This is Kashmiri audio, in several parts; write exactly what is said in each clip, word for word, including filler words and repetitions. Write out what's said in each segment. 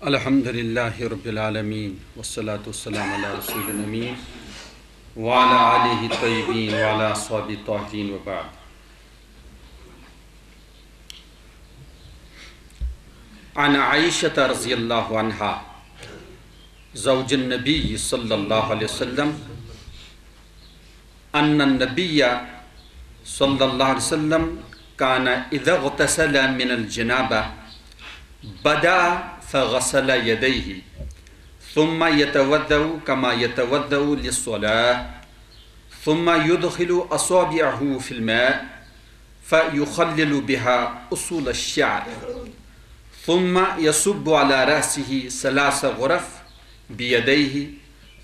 الحمد لله رب العالمين، والصلاة والسلام على رسول الأمين، وعلى آله الطيبين وعلى أصحابه الطاهرين، وبعد. عن عائشة رضي الله عنها زوج النبي صلى الله عليه وسلم أن النبي صلى الله عليه وسلم كان إذا اغتسل من الجنابة بدأ فغسل يديه، ثم يتوضأ كما يتوضأ للصلاة، ثم يدخل أصابعه في الماء فيخلل بها أصول الشعر، ثم يصب على رأسه ثلاث غرف بيديه،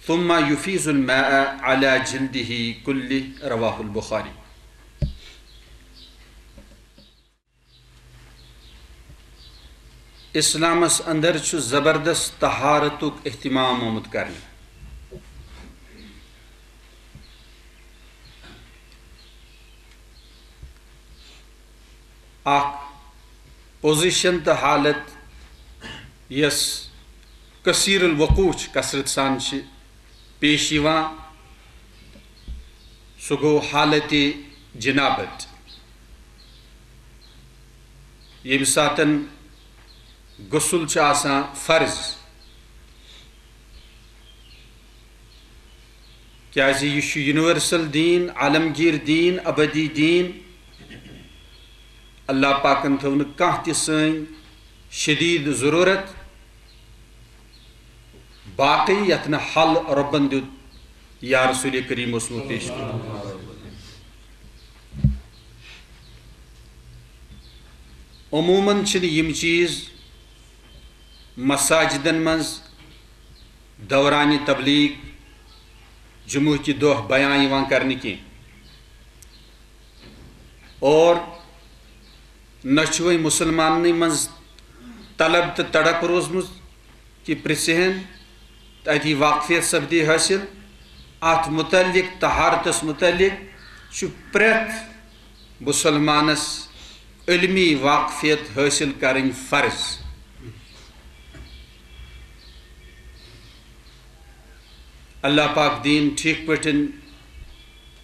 ثم يفيض الماء على جلده كله. رواه البخاري. اسلامس اندر چھُ زبردست طہارتُک اہتمام آمُت کرنہٕ۔ اکھ پوزیشن تہٕ حالت یۄس کثیر الوقوع چھِ، کثرت سان چھِ پیش یِوان، سُہ گوٚو حالت جنابت، ییٚمہِ ساتن غسل چھُ آسان فرض۔ کیازِ یہِ چھُ یونیورسل دیٖن، عالمگیر دیٖن، ابدی دیٖن۔ اللہ پاکن تھٲو نہٕ کانٛہہ تہِ سٲنۍ شدید ضرورت باقی یتھ نہٕ حل رۄبن دیُت یا رسول کریم اوسمُت پیش کوٚرمُت۔ عموماً چھِنہٕ یِم چیٖز مساجدن منٛز دوران تبلیغ جمعہ کہِ دۄہ بیان یِوان کرنہٕ کینٛہہ۔ اور نہ چھُ وۄنۍ مُسلماننٕے منٛز طلب تہٕ تڑپ روٗزمٕژ کہِ پرٛژھِ ہن تہٕ اَتی واقفیت سپدِ حٲصِل۔ اَتھ مُتعلِق، طہارتس مُتعلِق چھُ پرٛٮ۪تھ مُسلمانس علمی واقفیت حٲصِل کرٕنۍ فرض۔ اللہ پاک دِیِن ٹھیٖک پٲٹھۍ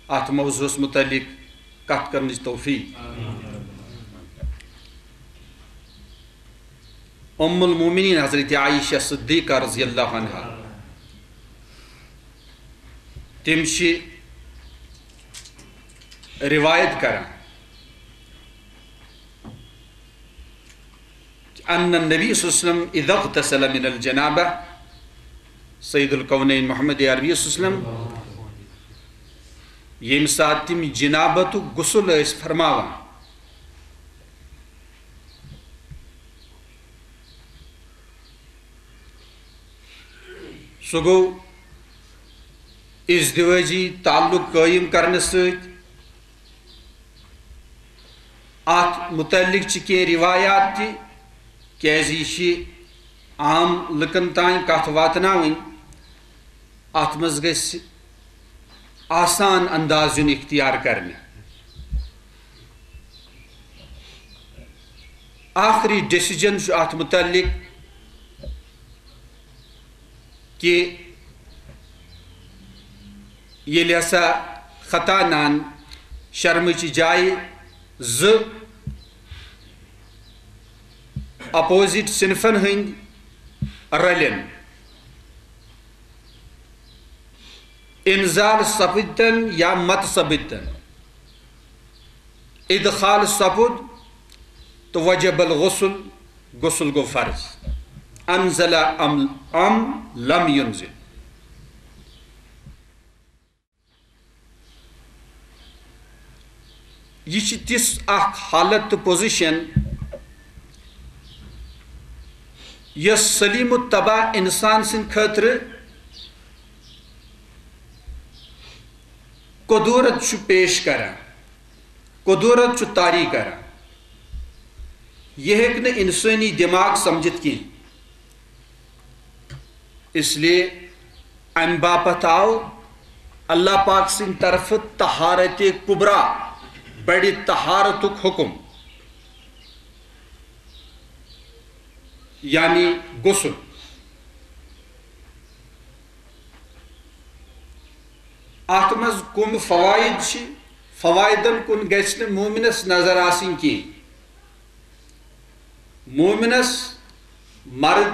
اَتھ موضوعس مُتعلِق کتھ کرنٕچ توفیٖق۔ ام المومنین حضرت عائشہ صدیقہ رضی اللہ عنہا، تِم چھِ روایت کران، ان النبی صلی اللہ علیہ وسلم اذا اغتسل من الجنابہ، سید الکونین محمد عربی صلی اللہ علیہ وسلم ییٚمہِ ساتہٕ تِم جنابتُک غسل ٲسۍ فرماوان، سُہ گوٚو ازدواجی تعلق قٲیِم کرنہٕ سۭتۍ۔ اَتھ مُتعلِق چھِ کینٛہہ روایات تہِ، کیازِ یہِ چھِ عام لُکن تام کتھ واتناوٕنۍ۔ اَتھ منٛز گژھِ آسان انداز یُن اختیار کرنہٕ۔ آخری ڈیسیجن چھُ اَتھ مُتعلِق کہِ ییٚلہِ ہسا خطا نان شرمٕچہِ جایہِ زٕ اپوزٹ صنفن ہٕنٛدۍ رلن، انزال سپدتن یا مت سپدتن، ادخال سپد، تو وجب الغسل، غسل گوٚو فرض۔ انزل ام، ام لم ينزل۔ یہِ چھِ تِژھ اکھ حالت تہٕ پوزیشن، یۄس سلیم الطبع انسان سٕنٛدِ خٲطرٕ قدورت چھُ پیش کران، قدورت چھُ طاری کران۔ یہِ ہیٚکہِ نہٕ انسٲنی دٮ۪ماغ سمجھِتھ کینٛہہ۔ اس لیے امہِ باپتھ آو اللہ پاک سٕنٛدِ طرفہٕ طہارت کبریٰ، بڑِ طہارتُک حکم۔ یعنی غسل۔ اتھ منٛز کم فوائد چھِ؟ فوائدن کُن گژھِ نہٕ مومنس نظر آسٕنۍ کینٛہہ۔ مومنس، مرد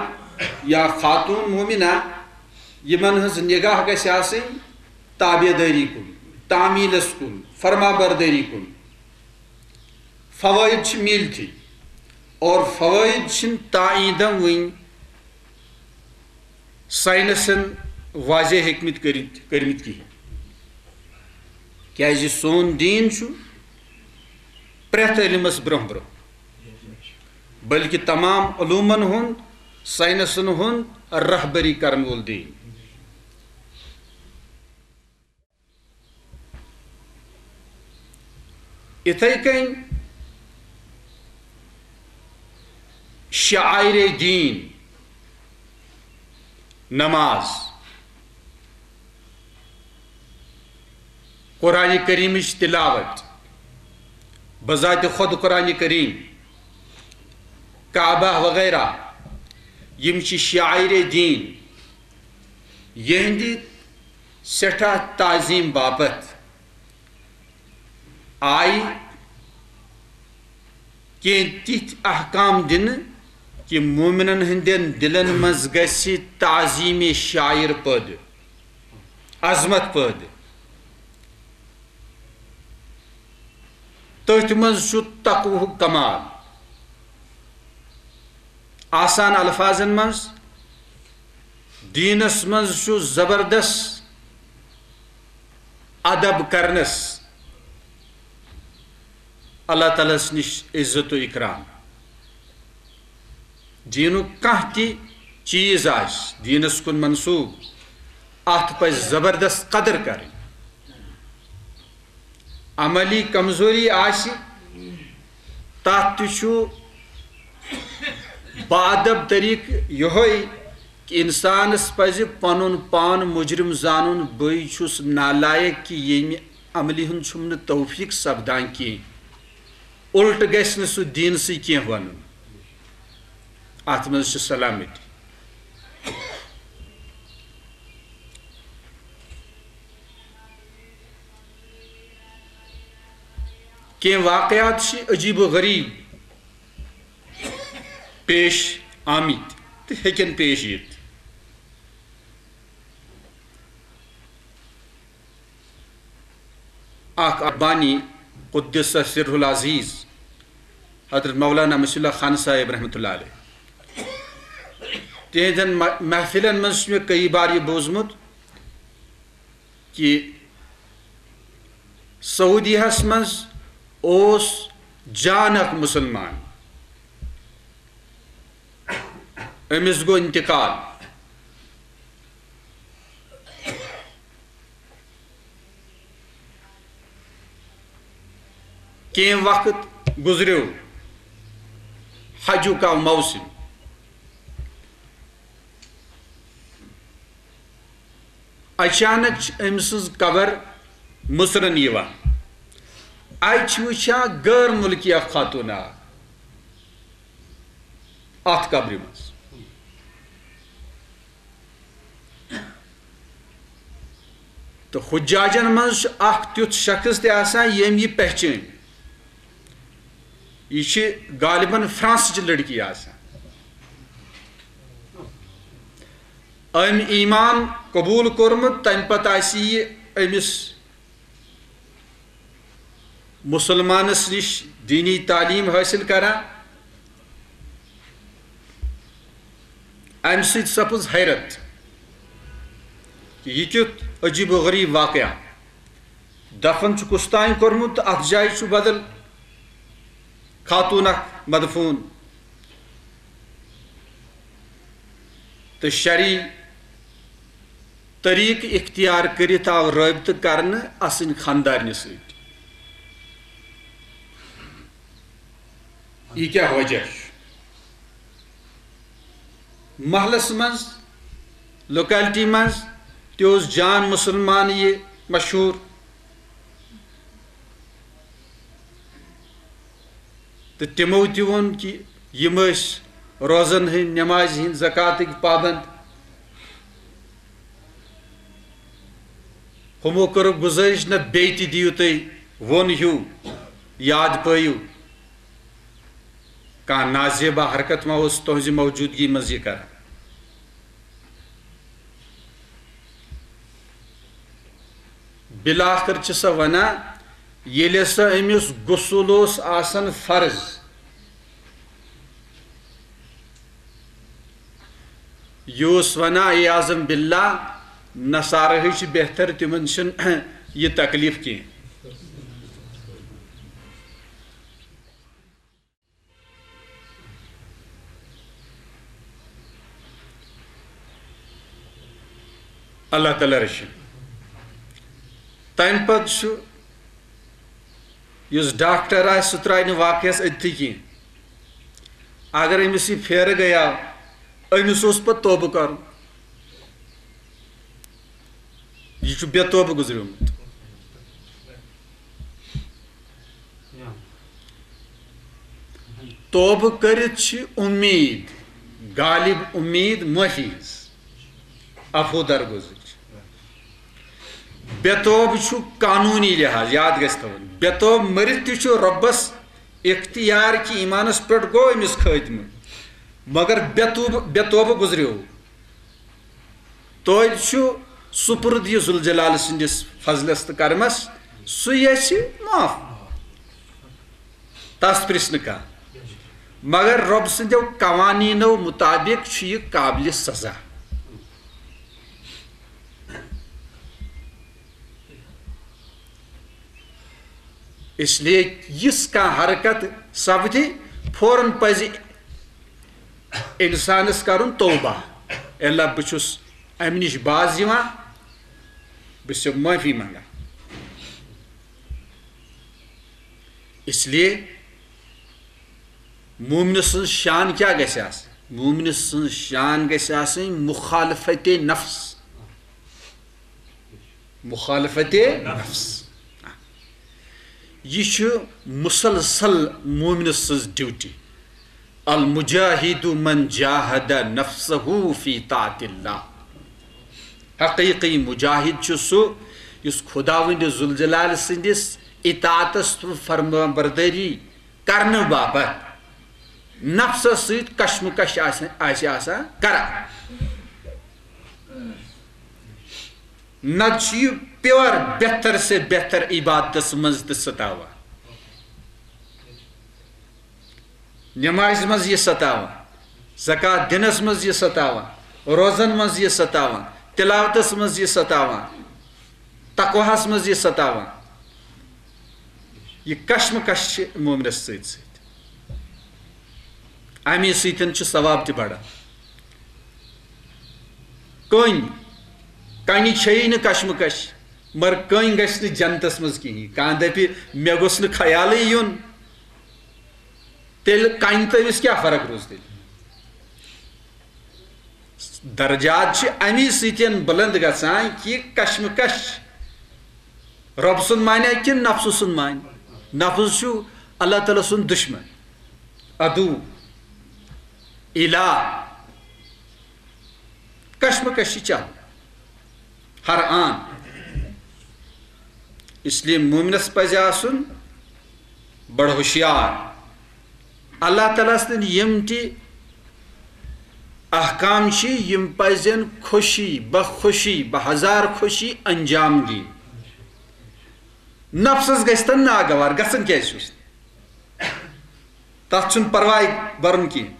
یا خاتون مومنہ، یِمن ہٕنٛز نگاہ گژھِ آسٕنۍ تابع دٲری کُن، تعمیلس کُن، فرما بردٲری کُن۔ فوائد چھِ میٖلتھٕے، اور فوائد چھِنہٕ تائیدم وٕنۍ ساینسن واضح ہیٚکمٕتۍ کٔرِتھ، کٔرمٕتۍ کِہیٖنۍ۔ کیازِ سون دیٖن چھُ پرٛٮ۪تھ علمس برونٛہہ برونٛہہ، بلکہِ تمام علومن ہُنٛد، ساینسن ہُنٛد رہبری کرن وول دیٖن۔ یِتھے کٔنۍ شعائر دیٖن، نماز، قرآن کریمٕچ تلاوت، بذات خود قرآن کریم، کعبہ وغیرہ، یِم چھِ شعائر دیٖن، یِہنٛدِ سٮ۪ٹھاہ تعظیٖم باپتھ آیہِ کینٛہہ تِتھۍ احکام دِنہٕ کہِ مومنن ہٕنٛدٮ۪ن دِلن منٛز گژھِ تعظیٖم شعائر پٲدٕ، عظمت پٲدٕ۔ تٔتھۍ منٛز چھُ تقوہُک کمال۔ آسان الفاظن منٛز، دیٖنس منٛز چھُ زبردست ادب کرنس اللہ تعالیٰ ہس نِش عزت و اکرام۔ دیٖنُک کانٛہہ تہِ چیٖز آسہِ دیٖنس کُن منسوٗب، اتھ پزِ زبردست قدر کرٕنۍ۔ عملی کمزوری آسہِ، تتھ تہِ چھُ باادب طریقہٕ یِہوٚے کہِ انسانس پزِ پنُن پان مجرم زانُن، بٕے چھُس نالایق کہِ ییٚمہِ عملی ہُنٛد چھُم نہٕ توفیق سپدان کینٛہہ۔ الٹہٕ گژھِ نہٕ سُہ دیٖنسٕے کینٛہہ ونُن۔ اتھ منٛز چھِ سلامتی۔ کینٛہہ واقعات چھِ عجیب و غریب پیش آمٕتۍ تہٕ ہیٚکن پیش یِتھ۔ اکھ بانی قدس سرہ العزیز حضرت مولانا مصلح خان صاحب رحمۃ اللہ علیہ، تہنٛدٮ۪ن مح-، محفلن منٛز چھُ مےٚ کئی بار یہِ بوٗزمُت کہِ سعودی ہس منٛز اوس جان اکھ مسلمان، أمِس گوٚو انتقال۔ کینٛہہ وقت گُزریو، حجُک آو موسم۔ اچانک چھِ أمۍ سٕنٛز قبر مُژرن یِوان۔ اَتہِ چھِ وٕچھان غٲر مُلکی اکھ خاتوٗن اکھ اَتھ قبرِ منٛز۔ تہٕ حجاجن منٛز چھُ اکھ تیُتھ شخص تہِ آسان، ییٚمۍ یہِ پہچٲنۍ۔ یہِ چھِ غالباً فرانسٕچ لڑکی آسان۔ أمۍ ایمان قبوٗل کوٚرمُت، تَمہِ پتہٕ آسہِ یہِ أمِس مسلمانس نِش دینی تعلیٖم حٲصِل کران۔ امہِ سۭتۍ سپٕز حیرت، یہِ کیُتھ عجیب و غریب واقعہ۔ دفن چھُ کُس تام کوٚرمُت تہٕ اتھ جایہِ چھُ بدل خاتون اکھ مدفون۔ تہٕ شرعی طریقہٕ اختیار کٔرِتھ آو رٲبطہٕ کرنہٕ اسٕنۍ خاندارنہِ سۭتۍ۔ یہِ کیٛاہ وجہ چھُ؟ محلس منٛز، لوکیلٹی منٛز تہِ اوس جان مسلمان یہِ مشہوٗر۔ تہٕ تِمو تہِ ووٚن کہِ یِم ٲسۍ روزن ہٕنٛدۍ، نمازِ ہٕنٛدۍ، زکاتٕکۍ پابند۔ ہُمو کٔرٕکھ گُزٲرِش، نہ بیٚیہِ تہِ دِیِو تُہۍ ووٚن ہیوٗ، یاد پٲیِو۔ کانٛہہ نازیبہ حرکت ما اوس تُہنٛزِ موجودگی منٛز یہِ کران؟ بالآخر چھِ سۄ ونان، ییٚلہِ سا أمِس غسل اوس آسان فرض، یہِ اوس ونان، عیاذم باللہ، نصارہٕے چھِ بہتر، تِمن چھُنہٕ یہِ تکلیف کینٛہہ۔ اللہ تعالیٰ رٔچھِن۔ تَمہِ پتہٕ چھُ یُس ڈاکٹر آسہِ، سُہ ترٛایہِ نہٕ واقعس أتھی کینٛہہ۔ اگر أمِس یہِ پھیرٕ گٔیاو، أمِس اوس پتہٕ توبہٕ کرُن۔ یہِ چھُ بے توبہٕ گُزریومُت۔ توبہٕ کٔرِتھ چھِ اُمید، غالب اُمید معٲفی ہٕنٛز، عفو درگُزرٕچ۔ بے توبہٕ چھُ قانوٗنی لحاظ، یاد گژھِ تھاوُن، بے توبہٕ مٔرِتھ تہِ چھُ رۄبَس اختیار کہِ ایٖمانَس پٮ۪ٹھ گوٚو أمِس خٲتمہٕ، مگر بے توبہٕ، بے توبہٕ گُزریو۔ توتہِ چھُ سُپرد یہِ ذوالجلال سٕنٛدِس فضلس تہٕ کرمس، سُہ یژھِ معاف، تس پرژھِ نہٕ کانٛہہ۔ مگر رۄب سٕنٛدیو قوانینو مطابق چھُ یہِ قابلِ سزا۔ اس لیے یِژھ کانٛہہ حرکت سپدِ، فوراً پزِ انسانس کرُن توبہ، اللہ، بہٕ چھُس امہِ نِش باز یِوان، بہٕ چھُس ژےٚ معٲفی منگان۔ اس لیے مومنہٕ سٕنٛز شان کیٛاہ گژھِ آسٕنۍ؟ مومنہٕ سٕنٛز شان گژھِ آسٕنۍ مخالفت نفس۔ مخالفت نفس۔ یہِ چھُ مسلسل مومنہٕ سٕنٛز ڈیوٹی۔ المجاہد من جاہد نفسہ فی طاعت اللہ۔ حقیقی مجاہد چھُ سُہ یُس خداوند ذوالجلال سٕنٛدِس اطاعتس تہٕ فرمانبردٲری کرنہٕ باپتھ نفسس سۭتۍ کشمکش آسہِ، آسہِ آسان کران۔ نتہٕ چھُ یہِ پیور بہتر سے بہتر عبادتس منٛز تہِ ستاوان۔ نمازِ منٛز یہِ ستاوان، زکوٰۃ دِنس منٛز یہِ ستاوان، روزن منٛز یہِ ستاوان، تلاوتس منٛز یہِ ستاوان، تقواہس منٛز یہِ ستاوان۔ یہِ کشمکش چھِ مومنس سۭتۍ سۭتۍ۔ امی سۭتۍ چھُ ثواب تہِ بڑان۔ کٔنۍ، کنہِ چھیی نہٕ کشمکش، مگر کٔنۍ گژھِ نہٕ جنتس منٛز کِہیٖنۍ۔ کانٛہہ دپہِ، مےٚ گوٚژھ نہٕ خیالٕے یُن، تیٚلہِ کنہِ تہٕ أمِس کیٛاہ فرق روٗز تیٚلہِ؟ درجات چھِ امی سۭتۍ بلند گژھان کہِ کشمکش رۄب سُنٛد مانیا کِنہٕ نفسہٕ سُنٛد مانہِ؟ نفس چھُ اللہ تعالیٰ سُنٛد دشمن، عدو، الہ۔ کشمکش چھِ چلان ہر آن۔ اس لیے مومنس پزِ آسُن بڑٕ ہوشیار۔ اللہ تعالیٰ سٕنٛدۍ یِم تہِ احکام چھِ، یِم پزن خوشی، بخوشی، بہزار خوشی انجام دِنۍ۔ نفسس گژھِ تن ناگوار، گژھن کیازِ چھُس؟ تتھ چھُنہٕ پرواے برُن کینٛہہ۔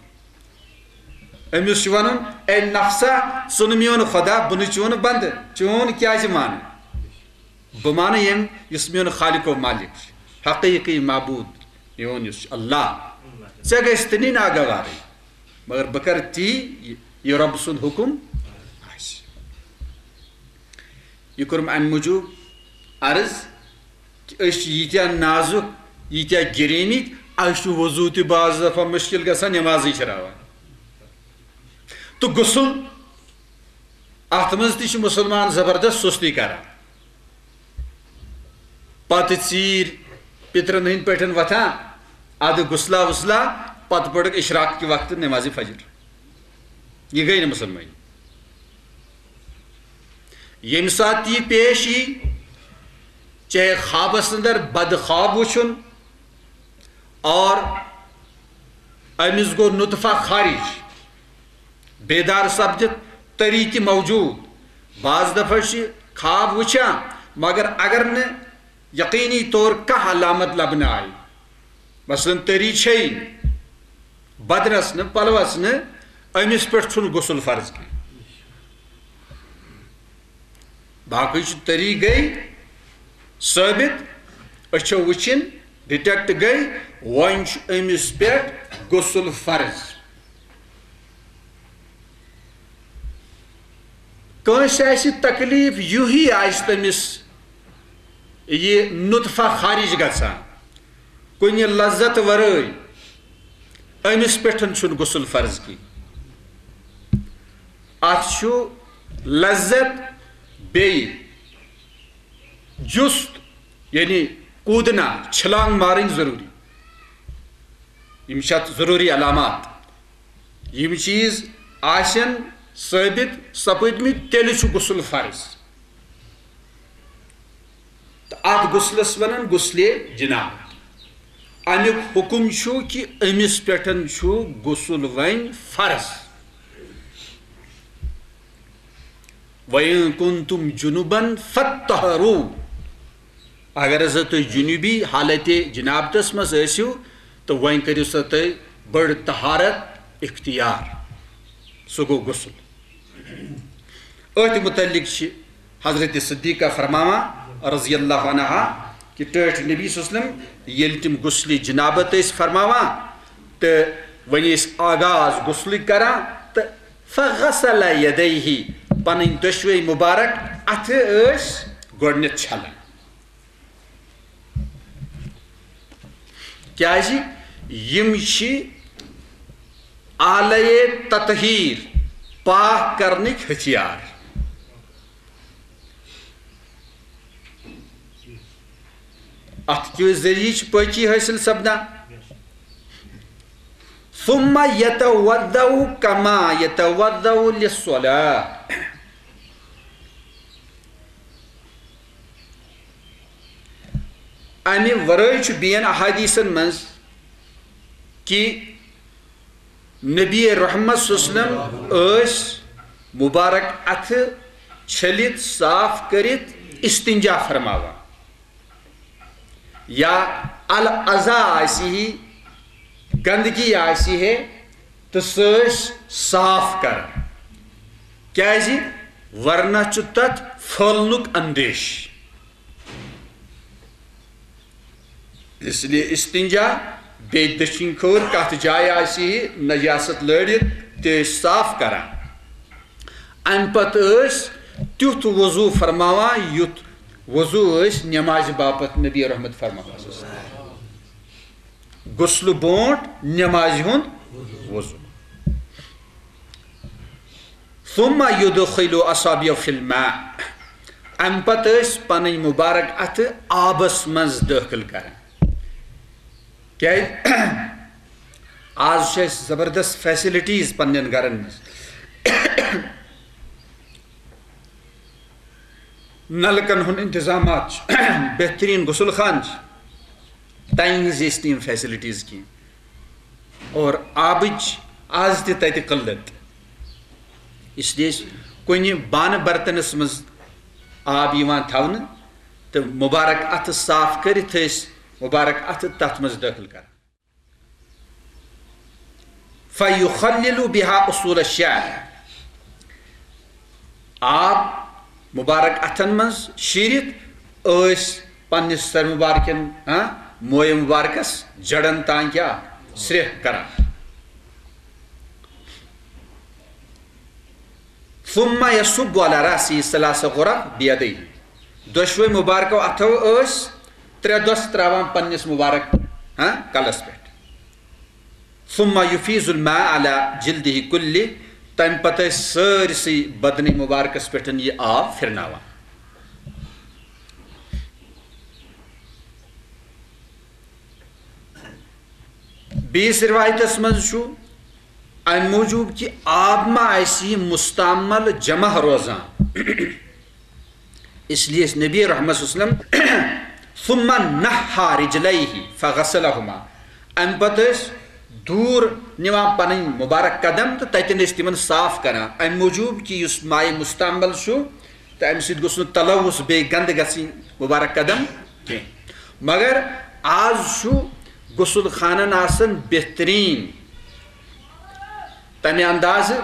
أمِس چھُ ونُن، اے نفسا، ژٕ نہٕ میون خدا، بہٕ نہٕ چون بندٕ، چون کیازِ مانہٕ؟ بہٕ مانہٕ ییٚمۍ یُس میون خالق و مالک چھُ، حقیقی معبود میون یُس چھُ اللہ۔ ژےٚ گژھِ تہِ نہٕ ناگوارٕے، مگر بہٕ کرٕ تی یہِ، یہِ رۄب سُنٛد حُکُم آسہِ۔ یہِ کوٚرُم امہِ موٗجوٗب عرض کہِ أسۍ چھِ ییٖتیٛاہ نازُک، ییٖتیٛاہ گِریمٕتۍ، اَسہِ چھُ وضوٗ تہِ بعض دفعہ مُشکِل گژھان، نٮ۪مازٕے چھِ راوان۔ تہٕ غسل، اَتھ منٛز تہِ چھِ مُسلمان زبردست سُستی کران۔ پتہٕ ژیٖرۍ پِترَن ہٕنٛدۍ پٲٹھۍ وۄتھان، اَدٕ غسلہ وسلہ، پتہٕ پٔرٕکھ اشراق کہِ وقتہٕ نمازِ فجر۔ یہِ گٔے نہٕ مسلمٲنی۔ ییٚمہِ ساتہٕ تہِ یہِ پیش یی، چاہے خوابس اندر بد خواب وٕچھُن، اور أمِس گوٚو نطفہ خارج، بیدار سپدِتھ تٔری تہِ موجود۔ بعض دفعہ چھِ خواب وٕچھان، مگر اگر نہٕ یقینی طور کانٛہہ علامت لبنہٕ آیہِ، مثلاً تٔری چھے نہٕ، بدنس نہٕ، پلوس نہٕ، أمِس پٮ۪ٹھ چھُنہٕ غسل فرض کینٛہہ۔ باقٕے چھُ تٔری گٔے ثٲبت، أچھو وٕچھِن، ڈیٹیکٹ گٔے، وۄنۍ چھُ أمِس پٮ۪ٹھ غسل فرض۔ کٲنٛسہِ آسہِ تکلیف، یُہی آسہِ تٔمِس یہِ نطفہ خارج گژھان، کُنہِ لذت ورٲے، أمِس پٮ۪ٹھ چھُنہٕ غسل فرض کینٛہہ۔ اَتھ چھُ لذت بیٚیہِ جُست، یعنی کوٗدنا، چھلانگ مارٕنۍ ضروٗری۔ یِم چھِ اَتھ ضروٗری علامات۔ یِم چیٖز آسن ثٲبت سپٕدمٕتۍ، تیٚلہِ چھُ غسل فرض۔ تہٕ اَتھ غسلس وَنان غسلِ جنابت۔ اَمیُک حُکم چھُ کہِ أمِس پٮ۪ٹھ چھُ غسل وۄنۍ فرض۔ وَإِن كُنتُمْ جُنُبًا فَاطَّهَّرُوا۔ اگر ہسا تُہۍ جنوبی حالتِ جنابتس منٛز ٲسِو، تہٕ وۄنۍ کٔرِو سا تُہۍ بٔڑ طہارت اختیار۔ سُہ گوٚو غسل۔ أتھۍ متعلق چھِ حضرت صدیقہ فرماوان رضی اللہ عنہا کہِ ٹٲٹھۍ نبی صلی اللہ علیہ وسلم ییٚلہِ تِم غسلِ جنابت ٲسۍ فرماوان، تہٕ وۄنۍ ٲسۍ آغاز غسلٕکۍ کران، تہٕ فغسل یدیہ، پنٕنۍ دۄشوے مبارک اتھٕ ٲسۍ گۄڈٕنیتھ چھلان۔ کیازِ؟ یِم چھِ آلے تطہیر، پاک کرنٕکۍ ہتھیار۔ اتھ کہِ ذٔریعہٕ چھِ پٲکی حٲصِل سپدان۔ ثم يتوضأ كما يتوضأ للصلاة۔ امہِ ورٲے چھُ بیٚین احادیثن منٛز کہِ نبی رحمت صلی اللہ علیہ وسلم ٲسۍ مبارک اتھٕ چھٔلِتھ صاف کٔرِتھ استنجا فرماوان، یا الاذی آسہِ ہے، گندگی آسہِ ہے، تہٕ سُہ ٲسۍ صاف کران، کیازِ ورنہ چھُ تتھ پھٔہلنُک اندیش۔ اس لیے استنجا، بیٚیہِ دٔچھِنۍ کھوٚر کتھ جایہِ آسہِ ہے نجاست لٲرِتھ، تہِ ٲسۍ صاف کران۔ امہِ پتہٕ ٲسۍ تیُتھ وضو فرماوان، یُتھ وضو ٲسۍ نمازِ باپتھ نبی رحمت فرماوان۔ غسلہٕ برونٛٹھ نمازِ ہُنٛد وضو۔ ثم يدخل أصابعه في الماء۔ امہِ پتہٕ ٲسۍ پنٕنۍ مبارک اتھٕ آبس منٛز دٲخل کران۔ کیازِ؟ آز چھِ اَسہِ زبردست فیسلٹیز پننٮ۪ن گرن منٛز۔ نلکن ہُنٛد انتظامات چھُ، بہترین غسل خان چھُ، تَمہِ وِزِ ٲسۍ نہٕ یِم فیسلٹیز کینٛہہ۔ اور آبٕچ آز تہِ تَتہِ قلت۔ اس لیے ٲسۍ کُنہِ بانہٕ برتنس منٛز آب یِوان تھاونہٕ تہٕ مبارک اتھٕ صاف کٔرِتھ ٲسۍ مبارک اتھٕ تتھ منٛز دٲخل کران۔ فیخلل بها اصول الشعر۔ آب مبارک اتھن منٛز شیٖرِتھ ٲسۍ پننِس سر مبارکن، ہاں، مویہِ مبارکس جڑن تام کیٛاہ سرٛیٚہہ کران۔ ثم يصب على رأسه ثلاث غرف بيديه۔ دۄشوے مبارکو اتھو ٲسۍ ترٛےٚ دۄس تراوان پننِس مبارک، ہاں، کلس پٮ۪ٹھ۔ ثم يفيض الماء على جلده كله۔ تمہِ پتہٕ ٲسۍ سٲرسٕے بدنٕے مبارکس پٮ۪ٹھ یہِ آب پھرناوان۔ بیٚیِس رِوایتَس منٛز چھُ اَمہِ موٗجوٗب کہِ آب ما آسہِ یہِ مُستعمل جمع روزان، اس لیے نبی رحمت صلی اللہ علیہ وسلم، ثم نحى رجليه فغسلهما، اَمہِ پتہٕ ٲسۍ دوٗر نِوان پنٕنۍ مُبارک قدم تہٕ تَتٮ۪ن ٲسۍ تِمن صاف کران۔ اَمہِ موٗجوٗب کہِ یُس مائے مُستعمل چھُ تہٕ اَمہِ سۭتۍ گوٚژھ نہٕ تلوث، بیٚیہِ گنٛدٕ گژھٕنۍ مُبارک قدم کینٛہہ۔ مگر آز چھُ غسل خانن آسان بہتریٖن تَمہِ اندازٕ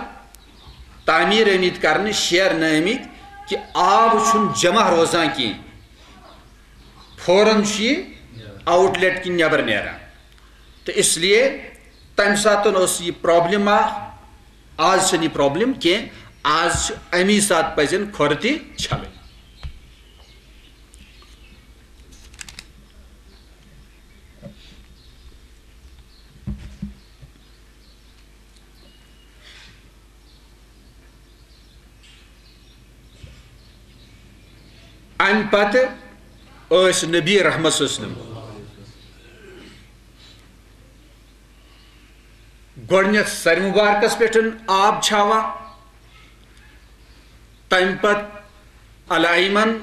تعمیٖر آمٕتۍ کرنہٕ، شیرنہٕ آمٕتۍ کہِ آب چھُنہٕ جمع روزان کینٛہہ، فوراً چھُ یہِ آؤٹ لیٹ کِنۍ نٮ۪بر نیران۔ تہٕ اس لیے تَمہِ ساتہٕ ٲس یہِ پرابلم اکھ، آز چھَنہٕ یہِ پرابلم کینٛہہ، آز چھِ اَمی ساتہٕ پَزن کھۄر تہِ چھلٕنۍ۔ اَمہِ پتہٕ ٲسۍ نبی رحمت صلی اللہ علیہ وسلم گۄڈٕنیتھ سرِ مُبارکس پٮ۪ٹھ آب چھاوان، تَمہِ پتہٕ الایمن،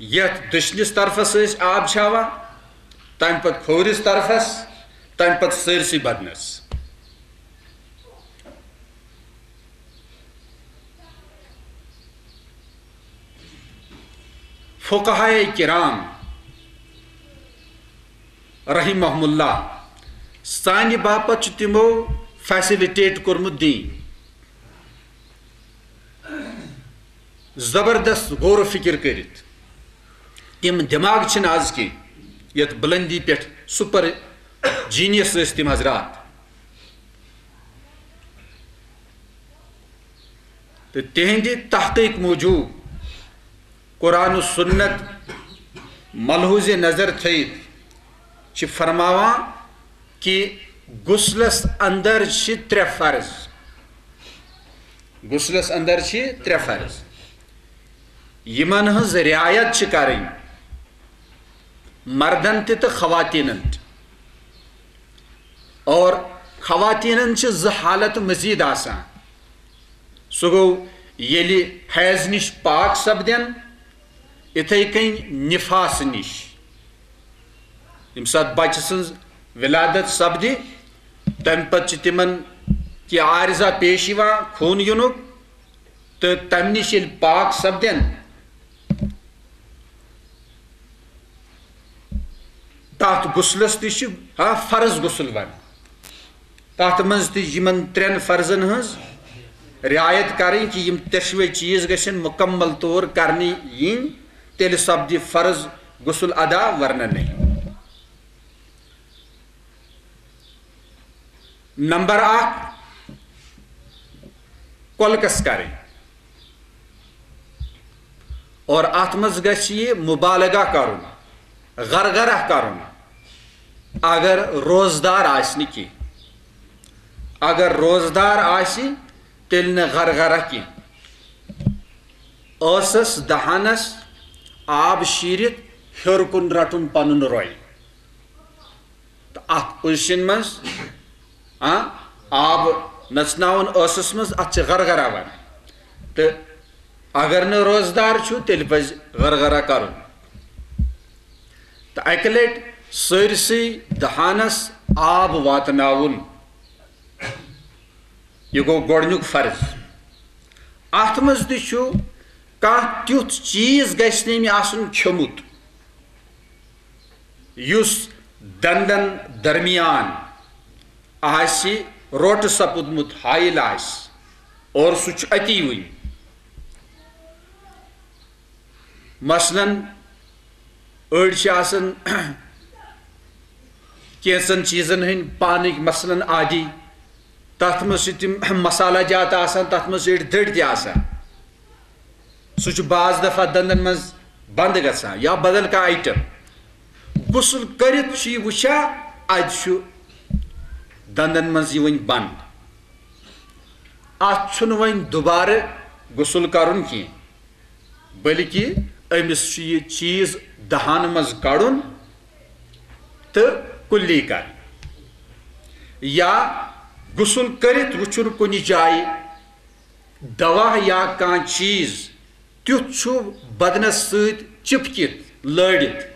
یتھ دٔچھنِس طرفس ٲسۍ آب چھاوان، تَمہِ پتہٕ کھوورِس طرفس، تَمہِ پتہٕ سٲرسٕے بدنس۔ فقہائے کرام رحمہم اللہ، سانہِ باپتھ چھُ تِمو فیسلٹیٹ کوٚرمُت دین۔ زبردست غور و فکر کٔرِتھ۔ تِم دٮ۪ماغ چھِنہٕ آز کینٛہہ یَتھ بُلندی پٮ۪ٹھ سپر جینیس ٲسۍ تِم حضرات۔ تہٕ تِہنٛدِ تحقیق موٗجوٗب قرآن و سنت ملحوظ نظر تھٲیِتھ چھِ فرماوان کہِ غسلس اندر چھِ ترٛےٚ فرض۔ غسلس اندر چھِ ترٛےٚ فرض، یِمن ہٕنٛز رعایت چھِ کرٕنۍ مردن تہِ تہٕ خواتیٖنن تہِ۔ اور خواتیٖنن چھِ زٕ حالت مزید آسان۔ سُہ گوٚو ییٚلہِ حیض نِش پاک سپدن، اِتھے کٔنۍ نِفاس نِش۔ ییٚمہِ ساتہٕ بچہٕ سٕنٛز ولادت سپدِ، تمہِ پتہٕ چھِ تِمن کینٛہہ عارضہ پیش یِوان خوٗن یِنُک، تہٕ تمہِ نِش ییٚلہِ پاک سپدن، تتھ غسلس تہِ چھِ، ہاں، فرض غسل ونان۔ تتھ منٛز تہِ یِمن ترٛٮ۪ن فرضن ہٕنٛز رعایت کرٕنۍ کہِ یِم ترٛٮ۪شوے چیٖز گژھن مکمل طور کرنہٕ یِنۍ، تیٚلہِ سپدِ فرض غسل ادا، ورنہ نہیں۔ نمبر اکھ، کۄلکس کرٕنۍ۔ اور اتھ منٛز گژھِ یہِ مبالغہ کرُن، غرغرہ کرُن، اگر روزدار آسہِ نہٕ کینٛہہ۔ اگر روزدار آسہِ، تیٚلہِ نہٕ غرغرہ کینٛہہ۔ ٲسس دہانس آب شیٖرِتھ ہیوٚر کُن رٹُن پنُن رۄے۔ تہٕ اتھ پوزیشن منٛز، آ، آب نژناوُن ٲسس منٛز، اتھ چھِ غرغرہ ونان۔ تہٕ اگر نہٕ روزدار چھُ، تیٚلہِ پزِ غرغرہ کرُن۔ تہٕ اکہِ لٹہِ سٲرسٕے دہانس آب واتناوُن۔ یہِ گوٚو گۄڈٕنیُک فرض۔ اتھ منٛز تہِ چھُ کانٛہہ تیُتھ چیٖز گژھِ نہٕ أمۍ آسُن کھیوٚمُت، یُس دندن درمیان آسہِ روٹہٕ سپُدمُت حائل آسہِ اور سُہ چھُ اتی وٕنہِ۔ مثلاً، أڑۍ چھِ آسان کینٛژن چیٖزن ہٕنٛدۍ پانٕکۍ مثلاً عادی، تتھ منٛز چھِ تِم مسالہ جات آسان، تتھ منٛز چھِ أڑۍ دٔرۍ تہِ آسان۔ سُہ چھُ بعض دفعہ دندن منٛز بند گژھان یا بدل کانٛہہ آیٹم۔ غسل کٔرِتھ چھُ یہِ وٕچھان، اتہِ چھُ دندن منٛز یہِ وۄنۍ بند۔ اتھ چھُنہٕ وۄنۍ دوبارٕ غسل کرُن کینٛہہ، بلکہِ أمِس چھُ یہِ چیٖز دہانہٕ منٛز کڑُن تہٕ کُلی کرٕنۍ۔ یا غسل کٔرِتھ وٕچھُن کُنہِ جایہِ دوا یا کانٛہہ چیٖز تیُتھ چھُ بدنس سۭتۍ چِپکِتھ لٲرِتھ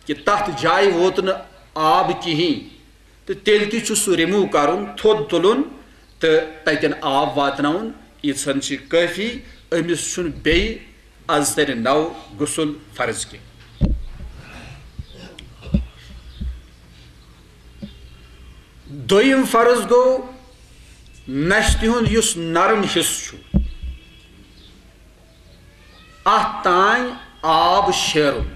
کہِ تَتھ جایہِ ووت نہٕ آب کِہیٖنۍ، تہٕ تیٚلہِ تہِ چھُ سُہ remove کرُن، تھوٚد تُلُن تہٕ تَتٮ۪ن آب واتناوُن۔ ییٖژہن چھِ کٲفی، أمِس چھُنہٕ بیٚیہِ از ترِ نو غسل فرض کینٛہہ۔ دوٚیِم فرض گوٚو نشتہِ ہُنٛد یُس نرم حصہٕ چھُ، اَتھ تام آب شیرُن۔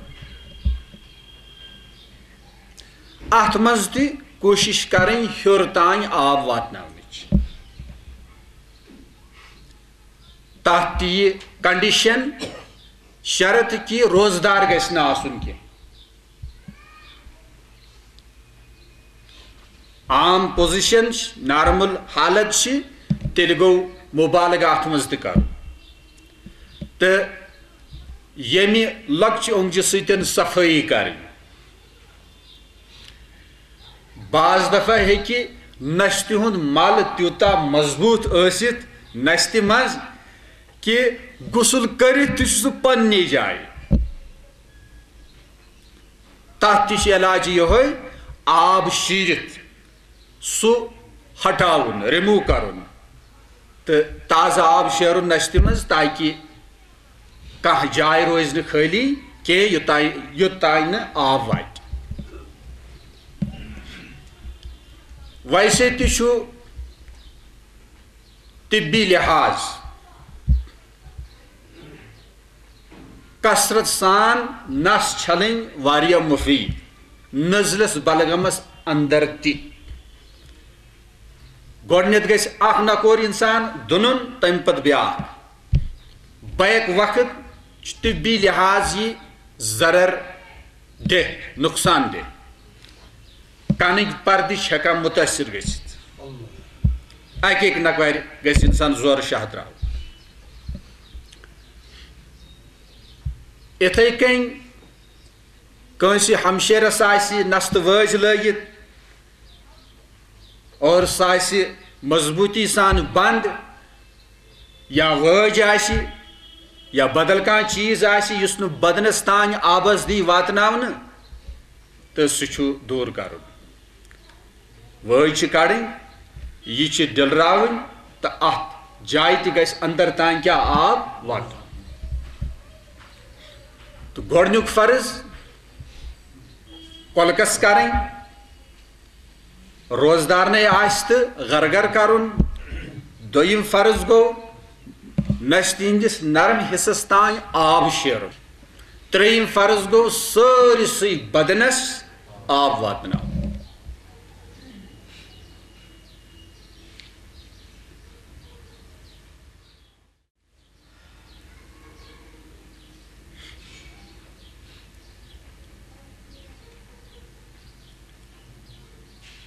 اَتھ منٛز تہِ کوٗشِش کرٕنۍ ہیوٚر تام آب واتناونٕچ۔ تَتھ تہِ یہِ condition، شرط کہِ روزدار گژھِ نہٕ آسُن کینٛہہ۔ عام position چھِ، normal حالت چھِ، تیٚلہِ گوٚو مُبالغہٕ اَتھ منٛز تہِ کَرُن۔ تہٕ ییٚمہِ لۄکچہِ اونٛگجہِ سۭتۍ صفٲیی کَرٕنۍ۔ بعض دفعہ ہیٚکہِ نستہِ ہُنٛد مل تیوٗتاہ مضبوٗط ٲسِتھ نستہِ منٛز کہِ غسل کٔرِتھ تہِ چھُ سُہ پننہِ جایہِ۔ تَتھ تہِ چھُ علاج یِہوٚے، آب شیٖرِتھ سُہ ہٹاوُن، remove کرُن، تہٕ تازٕ آب شیرُن نستہِ منٛز، تاکہِ کانٛہہ جاے روزِ نہٕ خٲلی کینٛہہ، یوٚتام، یوٚتام نہٕ آب واتہِ۔ ویسے تہِ چھُ طبی لحاظ کثرت سان نس چھلٕنۍ واریاہ مفید، نزلس بلغمس اندر تہِ۔ گۄڈٕنیتھ گژھِ اکھ نکور انسان دُنُن، تمہِ پتہٕ بیاکھ۔ بیک وقت چھُ طبی لحاظ یہِ ضرر دہ، نقصان دہ۔ کنٕکۍ پردٕ چھِ ہٮ۪کان مُتٲثر گٔژھِتھ۔ اکہِ اکہِ نکورِ گژھِ انسان زورٕ شاہ تراوُن۔ اِتھے کٔنۍ کٲنٛسہِ ہمشیرس آسہِ نستہٕ وٲج لٲگِتھ اور سُہ آسہِ مضبوٗطی سان بنٛد، یا وٲج آسہِ یا بدل کانٛہہ چیٖز آسہِ یُس نہٕ بدنس تام آبس دی واتناونہٕ، تہٕ سُہ چھُ دوٗر کرُن۔ وٲج چھِ کڑٕنۍ، یہِ چھِ ڈٔلراوٕنۍ، تہٕ اتھ جایہِ تہِ گژھِ اندر تام کیٛاہ آب واتُن۔ تہٕ گۄڈٕنیُک فرض کۄلکس کرٕنۍ، روزدارنٕے آسہِ تہٕ غرغر کرُن۔ دوٚیِم فرض گوٚو نستہِ ہٕنٛدِس نرم حصس تام آب شیرُن۔ ترٛیٚیِم فرض گوٚو سٲرسٕے بدنس آب واتناوُن۔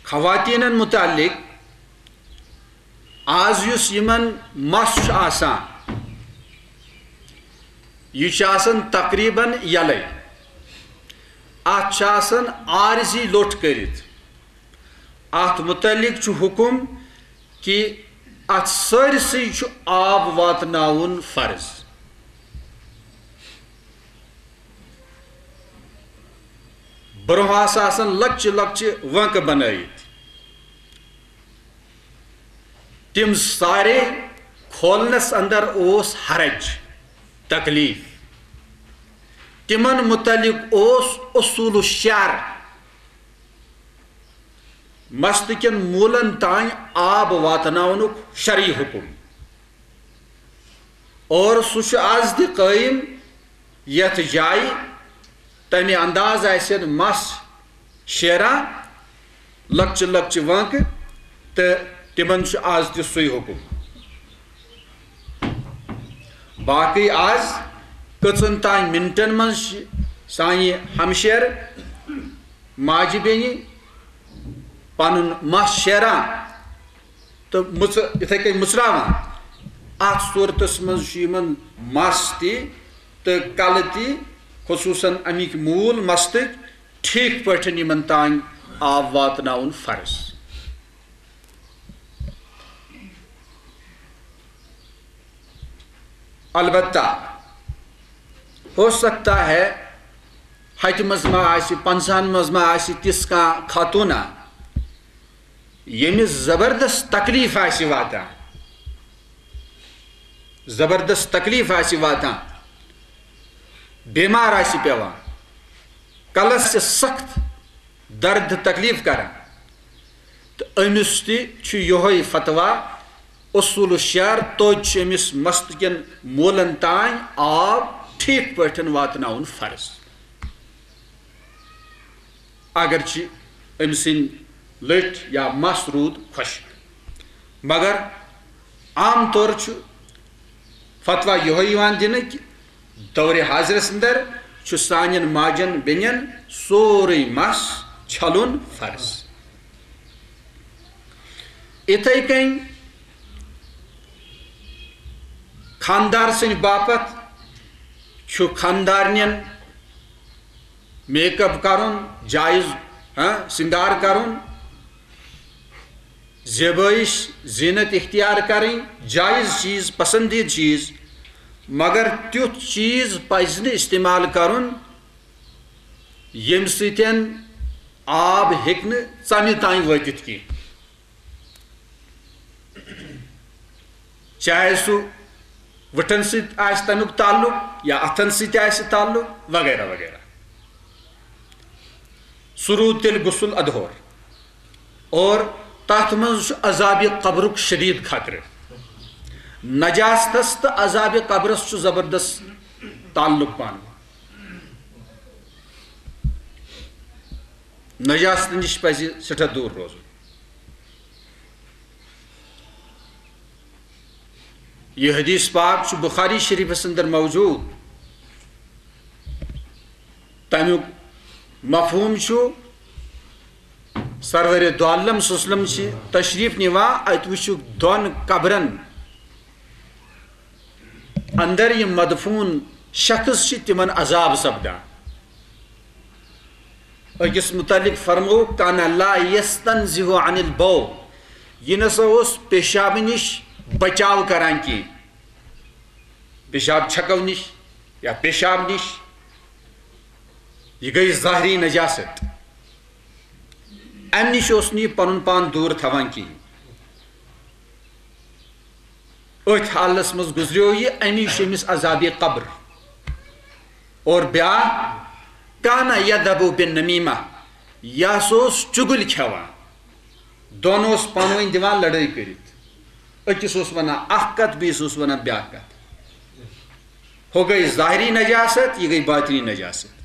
خواتینن متعلق آز یُس یِمن مس چھُ آسان، یہِ چھُ آسان تقریباً یلے۔ اتھ چھُ آسان عارضی لوٚٹ کٔرِتھ۔ اتھ متعلق چھُ حکم کہِ اتھ سٲرسٕے چھُ آب واتناوُن فرض۔ برونٛہہ آسہٕ آسان لۄکچہِ لۄکچہِ وٲنٛکہٕ بنٲیِتھ۔ تِم سارے کھولنس اندر اوس حرج، تکلیف۔ تِمن متعلق اوس اصول الشعر، مستہٕ کٮ۪ن موٗلن تام آب واتناونُک شرعی حکم۔ اور سُہ چھُ از تہِ قٲیِم، یتھ جایہِ تمہِ انداز آسن مس شیران، لۄکچہِ لۄکچہِ وٲنٛکہٕ، تہٕ تِمن چھُ از تہِ سُے حکم۔ باقٕے از کٔژن تام منٹن منٛز چھِ سانہِ ہمشیرٕ ماجہِ بیٚنہِ پنُن مس شیران تہٕ مٕژ-، یِتھے کٔنۍ مٕژراوان۔ اتھ صورتس منٛز چھُ یِمن مس تہِ تہٕ کلہٕ تہِ، خصوٗصاً امیِکۍ موٗل مستٕکۍ، ٹھیٖک پٲٹھۍ یِمن تام آب واتناوُن فرض۔ البتہ ہو سکتا ہے ہتہِ منٛز ما آسہِ، پنٛژاہن منٛز ما آسہِ تِژھ کانٛہہ خاتوٗنہ، ییٚمِس زبردست تکلیف آسہِ واتان، زبردست تکلیف آسہِ واتان، بیمار آسہِ پیوان، کلس چھِ سخت درد تکلیف کران، تہٕ أمِس تہِ چھُ یِہوٚے فتویٰ، اصول الشعر، توتہِ چھُ أمِس مستہٕ کٮ۪ن موٗلن تام آب ٹھیٖک پٲٹھۍ واتناوُن فرض۔ اگرچہِ أمۍ سٕنٛدۍ لٔٹۍ یا مس روٗد خۄشک، مگر عام طور چھُ فتویٰ یِہوٚے یِوان دِنہٕ کہِ دورِ حاضرس اندر چھُ سانٮ۪ن ماجن بیٚنٮ۪ن سورُے مس چھلُن فرض۔ اِتھَے کٔنۍ خانٛدار سٕنٛدِ باپتھ چھُ خانٛدارنٮ۪ن میک اپ کرُن جائز، ہاں، سنگار کرُن، زیبٲیش، زینت اختیار کرٕنۍ جائز چیز، پسندیدٕ چیز، مگر تیُتھ چیز پزِ نہٕ استعمال کرُن ییٚمہِ سۭتۍ آب ہیٚکہِ نہٕ ژمہِ تام وٲتِتھ کینٛہہ۔ چاہے سُہ وٕٹھن سۭتۍ آسہِ تَمیُک تعلق یا اَتھن سۭتۍ آسہِ تعلق وغیرہ وغیرہ۔ سُہ روٗد تیٚلہِ غسل ادٕ ہور۔ اور تَتھ منٛز چھُ عذابِ قبرُک شدیٖد خطرٕ۔ نجاستس تہٕ عذابِ قبرس چھُ زبردست تعلق پانہٕ ؤنۍ۔ نجاست نِش پزِ سٮ۪ٹھاہ دوٗر روزُن۔ یہِ حدیث پاک چھُ بخاری شریفس اندر موجود۔ تمیُک مفہوم چھُ، سرور دو عالم صلی اللہ علیہ وسلم چھِ تشریف نِوان، اتہِ وٕچھُکھ دۄن قبرن اندر یِم مدفون شخص چھِ، تِمن عذاب سپدان۔ أکِس متعلق فرموو، "کان لا یستنزہ عن البول"، یہِ نسا اوس پیشاب نِش بچاو کران کینٛہہ، پیشاب چھکو نِش یا پیشاب نِش، یہِ گٔے ظاہری نجاست۔ امہِ نِش اوس نہٕ یہِ پنُن پان دوٗر تھاوان کِہیٖنۍ۔ أتھۍ حالس منٛز گُزریو یہِ، اَمی چھُ أمِس عذابِ قبر۔ اور بیٛاکھ، کان یدب بالنمیمہ، یہِ ہسا اوس چُگُلۍ کھٮ۪وان۔ دۄن اوس پانہٕ ؤنۍ دِوان لڑٲے کٔرِتھ۔ أکِس اوس ونان اکھ کتھ، بیٚیِس اوس ونان بیٛاکھ کتھ۔ ہُہ گٔے ظاہری نجاست، یہِ گٔے باطنی نجاست۔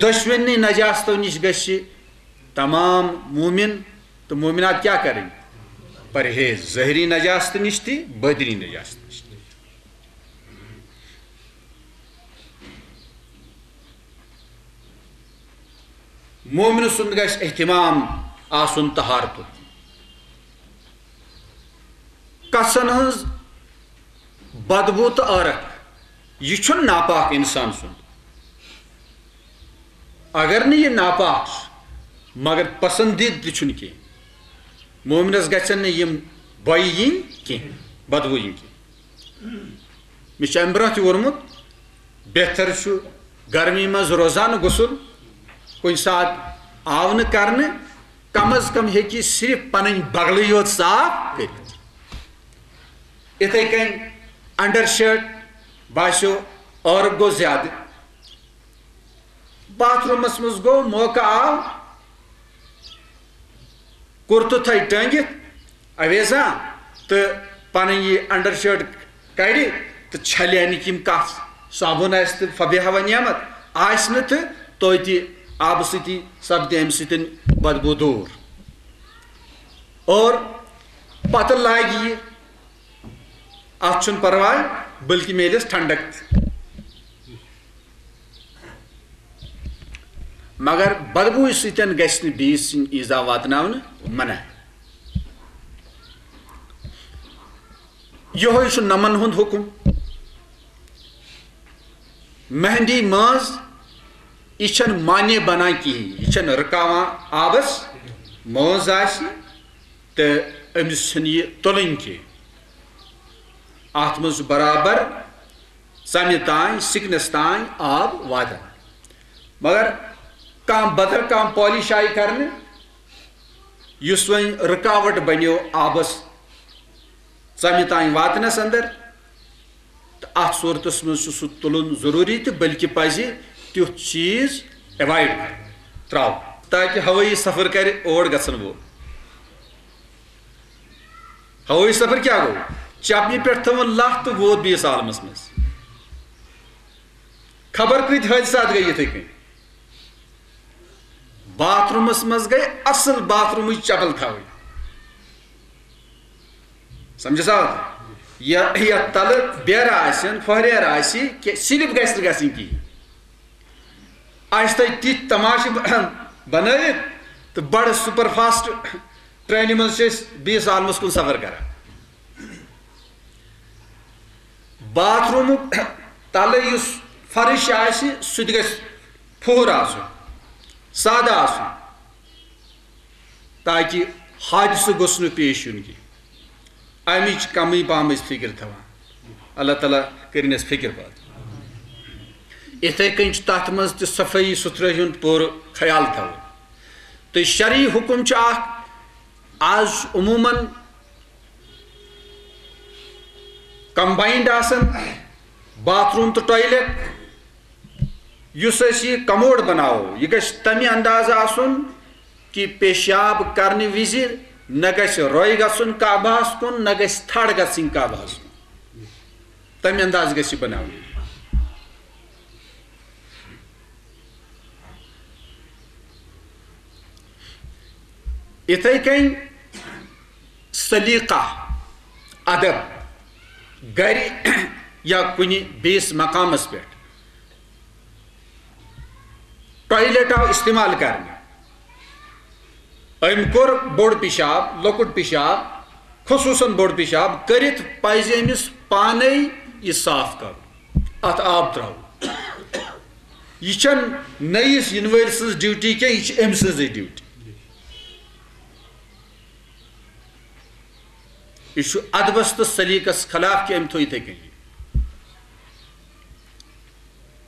دۄشوٕنی نجاستو نِش گژھِ تمام مومن تہٕ مومنات کیٛاہ کرٕنۍ؟ پرہیز، ظٲہری نجاست نِش تہِ، باطنی نجاست نِش تہِ۔ مومن سُنٛد گژھِ اہتمام آسُن طہارتُک۔ کژھن ہٕنٛز بدبو تہٕ عٲرق، یہِ چھُنہٕ ناپاک انسان سُنٛد۔ اگر نہٕ یہِ ناپاک چھُ، مگر پسندیدٕ تہِ چھُنہٕ کینٛہہ۔ مومنس گژھن نہٕ یِم بۄیہِ یِنۍ کینٛہہ، بدبو یِنۍ کینٛہہ۔ مےٚ چھُ امہِ برونٛہہ تہِ ووٚنمُت، بہتر چھُ گرمی منٛز روزانہٕ غسل، کُنہِ ساتہٕ آو نہٕ کرنہٕ، کم از کم ہیٚکہِ صرف پنٕنۍ بغلٕے یوت صاف کٔرِتھ۔ یِتھَے کٔنۍ انڈر شرٹ باسیو عٲرق گوٚو زیادٕ، باتھ روٗمس منٛز گوٚو، موقعہٕ آو، کُرتہٕ تھٲے ٹٲنگِتھ اویزان تہٕ پنٕنۍ یہِ انڈر شرٹ کڑِ تہٕ چھلہِ امیِکۍ یِم کتھ، صابن آسہِ تہٕ فبحا و نعمت، آسہِ نہٕ تہٕ توتہِ آبہٕ سۭتی سپدِ امہِ سۭتۍ بدبو دوٗر۔ اور پتہٕ لاگہِ یہِ، اتھ چھُنہٕ پرواے، بلکہِ میلٮ۪س ٹھنڈک تہِ۔ مگر بدبوٗ سۭتۍ گژھِ نہٕ بیٚیِس سٕنٛدۍ ایٖزا واتناونہٕ منع۔ یِہوٚے چھُ نمن ہُنٛد حُکُم۔ مہندی مٲنٛز، یہِ چھَنہٕ مانع بنان کِہیٖنۍ، یہِ چھَنہٕ رُکاوان آبس۔ مٲنٛز آسہِ تہٕ أمِس چھَنہٕ یہِ تُلٕنۍ کینٛہہ۔ اتھ منٛز چھُ برابر ژمہِ تام، سکنس تام آب واتان۔ مگر کانٛہہ بدل کانٛہہ پالش آیہِ کرنہٕ، یُس وۄنۍ رکاوٹ بنیو آبس ژمہِ تام واتنس اندر، تہٕ اتھ صورتس منٛز چھُ سُہ تُلُن ضروٗری، تہٕ بلکہِ پزِ تیُتھ چیٖز ایوایڈ کرُن، تراوُن، تاکہِ ہوٲیی سفر کرِ اور گژھن وول۔ ہوٲیی سفر کیٛاہ گوٚو؟ چپنہِ پٮ۪ٹھ تھٲوٕن لَتھ تہٕ ووت بیٚیِس عالمس منٛز۔ خبر کۭتۍ حٲدثات گٔے یِتھَے کٔنۍ۔ باتھ روٗمس منٛز گٔے اصل باتھ روٗمٕچ چپل تھاوٕنۍ۔ سمجھس آو؟ یا، یتھ تلہٕ بیرٕ آسن، پھۄہریر آسہِ، کہِ سلپ گژھِ نہٕ گژھٕنۍ کِہیٖنۍ۔ اسہِ تھٲے تِتھۍ تماشہٕ ب-، بنٲوِتھ تہٕ بڑٕ سپر فاسٹ ٹرینہِ منٛز چھِ أسۍ بیٚیِس عالمس کُن سفر کران۔ باتھ روٗمُک تلہٕ یُس فرش آسہِ، سُہ تہِ گژھِ پھُہُر آسُن، سادٕ آسُن، تاکہِ حادثہٕ گوٚژھ نہٕ پیش یُن کینٛہہ۔ امِچ کمٕے پہمٕچ فکر تھاوان۔ اللہ تعالیٰ کٔرِنَس فکر پٲدٕ۔ اِتھَے کٔنۍ چھُ تَتھ منٛز تہِ صفٲیی سُتھرٲے ہُنٛد پوٗرٕ خیال تھاوُن۔ تہٕ شرعی حُکم چھُ اکھ، آز چھُ عموٗماً کمباینڈ آسان باتھ روٗم تہٕ ٹویلیٹ۔ یُس أسۍ یہِ کموڈ بناوو، یہِ گژھِ تَمہِ اندازٕ آسُن کہِ پیشاب کرنہٕ وِزِ نہ گژھِ رۄے گژھُن کعبہس کُن، نہ گژھِ تھڑ گژھٕنۍ کعبہس کُن۔ تَمہِ اندازٕ گژھِ یہِ بناوُن۔ یِتھَے کٔنۍ سلیقہ، ادب، گرِ یا کُنہِ بیٚیِس مقامس پٮ۪ٹھ ٹویلیٹ آو استعمال کرنہٕ، أمۍ کوٚر بوٚڑ پیشاب، لۄکُٹ پیشاب، خصوٗصاً بوٚڑ پیشاب کٔرِتھ پزِ أمِس پانے یہِ صاف کرُن، اتھ آب تراوُن۔ یہِ چھَنہٕ نٔیِس یِنہٕ وٲلۍ سٕنٛز ڈیوٹی کینٛہہ، یہِ چھِ أمۍ سٕنٛزٕے ڈیوٹی۔ یہِ چھُ ادبس تہٕ سلیقس خلاف کہِ أمۍ تھوٚو یِتھَے کٔنی۔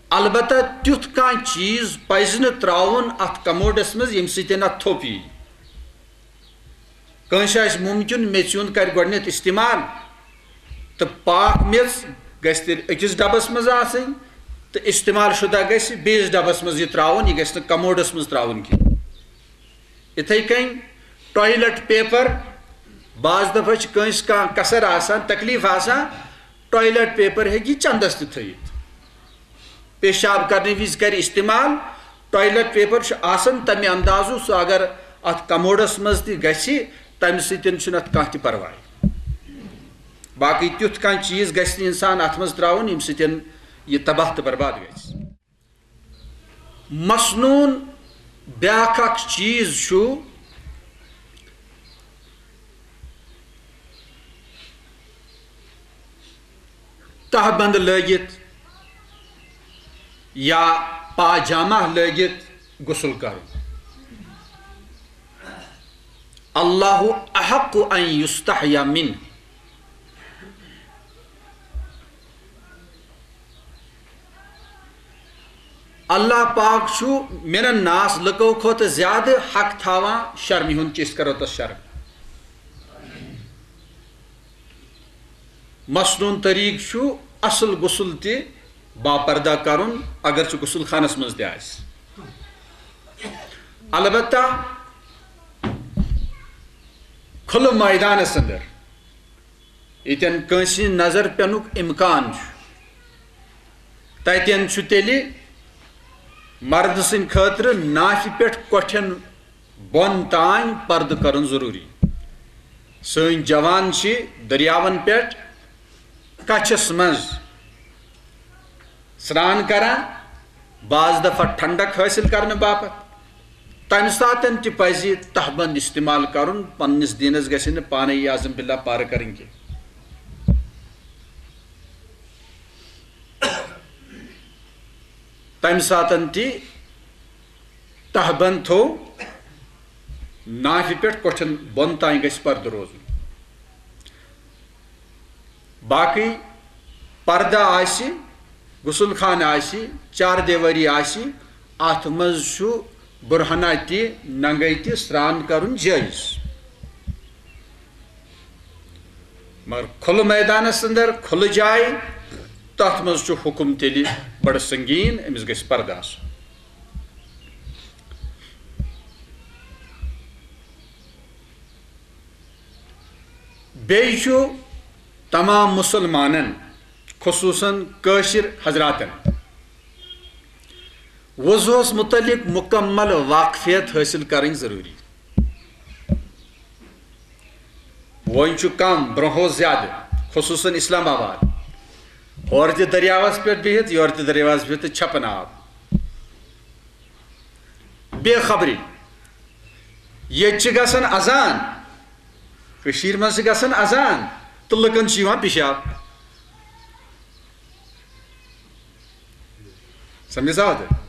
البتہ تیُتھ کانٛہہ چیٖز پزِ نہٕ ترٛاوُن اتھ کموڈس منٛز ییٚمہِ سۭتۍ اتھ تھوٚپ یی۔ کٲنٛسہِ آسہِ مُمکِن میٚژِ ہُنٛد کرِ گۄڈٕنٮ۪تھ استعمال، تہٕ پاک میٚژ گژھِ تیٚلہِ أکِس ڈبس منٛز آسٕنۍ، تہٕ استعمال شُدہ گژھِ بیٚیِس ڈبس منٛز یہِ ترٛاوُن، یہِ گژھِ نہٕ کموڈس منٛز ترٛاوُن کینٛہہ۔ یِتھَے کٔنۍ ٹویلیٹ پیپر، بعض دفعہ چھِ کٲنٛسہِ کانٛہہ کسر آسان، تکلیف آسان، ٹویلیٹ پیپر ہیٚکہِ یہِ چندس تہِ تھٲیِتھ۔ پیشاب کرنہٕ وِزِ کرِ استعمال۔ ٹویلیٹ پیپر چھُ آسان تمہِ اندازُک، سُہ اگر اتھ کموڈس منٛز تہِ گژھِ، تمہِ سۭتۍ چھُنہٕ اتھ کانٛہہ تہِ پرواے۔ باقٕے تیُتھ کانٛہہ چیٖز گژھِ نہٕ انسان اتھ منٛز ترٛاوُن، ییٚمہِ سۭتۍ یہِ تباہ تہٕ برباد گژھِ۔ مسنون بیاکھ اکھ چیٖز چھُ تہبند لٲگِتھ یا پاجامہ لٲگِتھ غسل کرُن۔ اللہ احق ان یستحیا منہ۔ اللہ پاک چھُ من الناس، لُکو کھۄتہٕ زیادٕ حق تھاوان شرمہِ ہُنٛد، کہِ أسۍ کرو تس شرم۔ مسنون طریقہٕ چھُ اصل غسل تہِ باپردہ کرُن، اگرچہِ غسل خانس منٛز تہِ آسہِ۔ البتہ کھُلہٕ مٲدانس اندر ییٚتٮ۪ن کٲنٛسہِ نظر پٮ۪نُک امکان چھُ، تتٮ۪ن چھُ تیٚلہِ مردٕ سٕنٛدِ خٲطرٕ نافہِ پٮ۪ٹھ کۄٹھٮ۪ن بۄن تام پردٕ کرُن ضروٗری۔ سٲنۍ جوان چھِ دٔریاوَن پٮ۪ٹھ کَچھَس منٛز سرٛان کران، بعض دفعہ ٹھنڈک حٲصِل کرنہٕ باپتھ۔ تَمہِ ساتَن تہِ پَزِ تہبند استعمال کرُن، پننِس دیٖنَس گژھِ نہٕ پانَے یہِ عزم باللہ پارٕ کرٕنۍ کینٛہہ۔ تَمہِ ساتَن تہِ تہبند تھوٚو نافہِ پٮ۪ٹھ، کۄٹھٮ۪ن بۄن تام گژھِ پردٕ روزُن۔ باقٕے پردٕ آسہِ، غسل خانہٕ آسہِ، چار دیوٲری آسہِ، اتھ منٛز چھُ برہنہ تہِ، ننگے تہِ سران کرُن جٲیز۔ مگر کھُلہٕ میدانس اندر، کھُلہٕ جایہِ، تتھ منٛز چھُ حُکم تیٚلہِ بڑٕ سنگیٖن، أمِس گژھِ پردٕ آسُن۔ بیٚیہِ چھُ تمام مُسلمانن، خصوصاً کٲشِر حضراتن، وضوٗہس مُتعلق مُکمل واقفیت حٲصِل کرٕنۍ ضروٗری۔ وۄنۍ چھُ کم، برونٛہہ اوس زیادٕ، خصوصاً اسلام آباد۔ ہورٕ تہِ دٔریاوس پٮ۪ٹھ بِہِتھ، یورٕ تہِ دٔریاوس بِہِتھ تہٕ چھپان آب۔ بے خبری۔ ییٚتہِ چھِ گژھان اذان، کٔشیٖرِ منٛز چھِ گژھان اذان تہٕ لُکن چھُ یِوان پِشاب۔ سمجھ آو تۄہہِ؟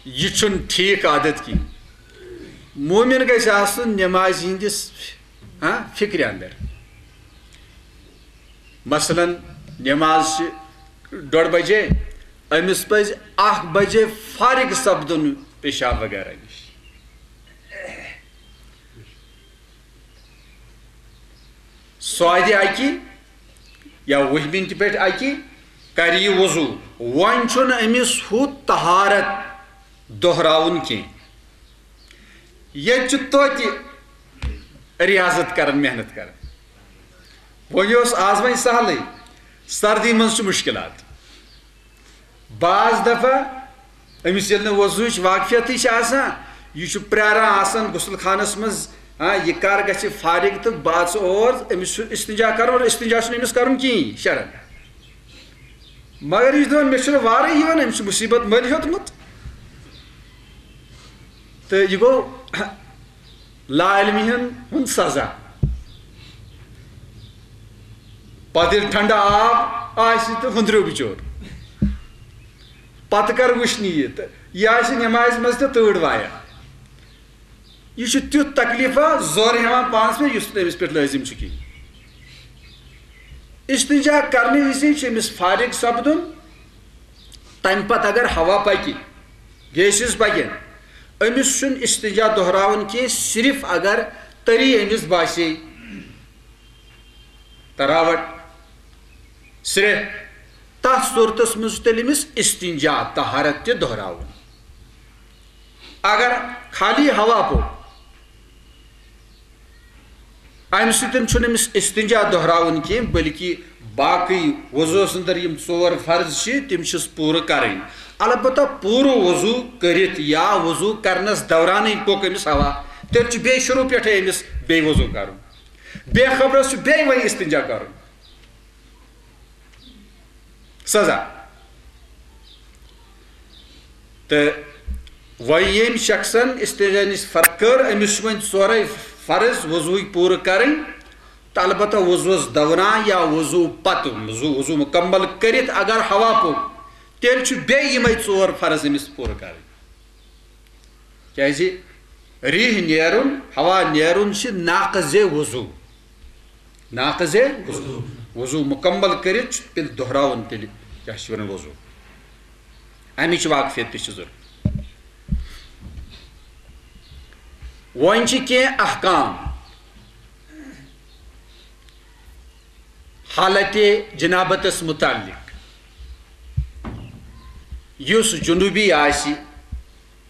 یہِ چھُنہٕ ٹھیٖک عادت کِہیٖنۍ۔ مومِن گژھِ آسُن نٮ۪مازِ ہِنٛدِس، ہاں، فِکرِ اندر۔ مثلاً، نٮ۪ماز چھِ ڈوٚڈ بجے، أمِس پزِ اکھ بجے فارغ سپدُن پیشاب وغیرہ نِش۔ سۄ اَتہِ اَکہِ یا وُہہِ مِنٹہِ پٮ۪ٹھ اَکہِ کرِ یہِ وضوٗ۔ وۄنۍ چھُنہٕ أمِس ہُہ طہارت دۄہراوُن کینٛہہ۔ ییٚتہِ چھِ توتہِ ریاضت کران، محنت کران۔ وۄنۍ اوس آز وۄنۍ سہلٕے، سردی منٛز چھِ مُشکلات۔ بعض دفعہ أمِس ییٚلہِ نہٕ وضوٗہٕچ واقفیتٕے چھِ آسان، یہِ چھُ پرٛاران آسان غسل خانس منٛز، ہاں، یہِ کر گژھِ فارغ تہٕ بہٕ اژٕ اور، أمِس چھُ استنجا کرُن اور استنجا چھُنہٕ أمِس کرُن کِہیٖنۍ شرعن۔ مگر یہِ چھُ دپان، مےٚ چھُنہٕ وارٕے یِوان، أمِس چھُ مُصیبت مٔلۍ ہیوٚتمُت۔ تہٕ یہِ گوٚو لا علمی ہن ہُنٛد سزا۔ پتہٕ ییٚلہِ ٹھنڈٕ آب آسہِ تہٕ ہُنٛدریو بِچور، پتہٕ کر وٕچھنہِ یہِ تہٕ یہِ آسہِ نٮ۪مازِ منٛز تہِ تۭر وایان۔ یہِ چھُ تیُتھ تکلیفا زور ہٮ۪وان پانس پٮ۪ٹھ، یُس نہٕ أمِس پٮ۪ٹھ لٲزم چھُ کِہیٖنۍ۔ استنجا کرنہٕ وِزِ چھُ أمِس فارغ سپدُن، تمہِ پتہٕ اگر ہوا پکہِ، گیسز پکن، أمِس چھُنہٕ استنجا دۄہراوُن کینٛہہ، صرف اگر تٔری أمِس باسے تراوٹ، سرٛیٚہہ، تتھ صورتس منٛز چھُ تیٚلہِ أمِس استنجا، طہارت، تہِ دۄہراوُن۔ اگر خالی ہوا پوٚک، امہِ سۭتۍ چھُنہٕ أمِس استنجا دۄہراوُن کینٛہہ، بلکہِ باقٕے وضوٗہس اندر یِم ژور فرض چھِ، تِم چھِس پوٗرٕ کرٕنۍ۔ البتہ پوٗرٕ وضوٗ کٔرِتھ یا وضوٗ کرنس دورانٕے پوٚک أمِس ہوا، تیٚلہِ چھُ بیٚیہِ شروٗع پٮ۪ٹھے أمِس بیٚیہِ وضوٗ کرُن۔ بے خبرس چھُ بیٚیہِ وۄنۍ استنجا کرُن۔ سزا۔ تہٕ وۄنۍ ییٚمۍ شخصن استنجا نِش فرق کٔر، أمِس چھِ وۄنۍ ژورے فرض وضوٗہٕکۍ پوٗرٕ کرٕنۍ، تہٕ البتہ وضوٗہس دوران یا وضوٗ پتہٕ، وضوٗ، وضوٗ مُکمل کٔرِتھ اگر ہوا پوٚک، تیٚلہِ چھُ بیٚیہِ یِمے ژور فرض أمِس پوٗرٕ کرٕنۍ۔ کیازِ ریح نیرُن، ہوا نیرُن چھِ ناقض وضو۔ ناقض وضو۔ وضو مکمل کٔرِتھ چھُ تیٚلہِ دۄہراوُن، تیٚلہِ کیٛاہ چھِ وَنان وضو۔ اَمِچ واقفیت تہِ چھِ ضروٗرت۔ وۄنۍ چھِ کینٛہہ احکام حالت جنابتس متعلق۔ یُس جنوبی آسہِ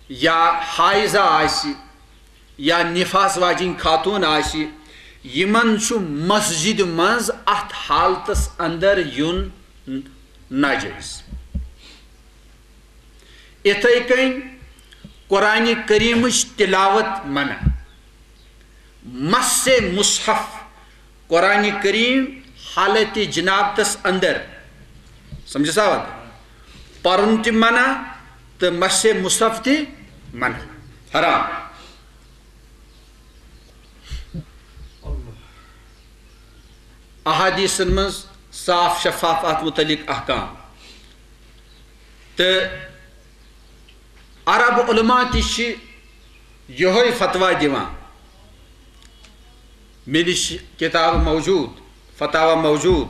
یا حائضہ آسہِ یا نفاس واجِنۍ خاتون آسہِ، یِمن چھُ مسجد منٛز اتھ حالتس اندر یُن ناجٲیز۔ اِتھے کٔنۍ قرآن کریمٕچ تلاوت منع۔ مس مصحف، قرآن کریم حالت جنابتس اندر، سمجھس آوا؟ پرُن تہِ منع تہٕ مس مصحف تہِ منع، حرام۔ احادیثن منٛز صاف شفاف اتھ متعلق احکام۔ تہٕ عرب علماء تہِ چھِ یِہوٚے فتویٰ دِوان۔ مےٚ نِش کِتاب موجوٗد، فتاوا موجود۔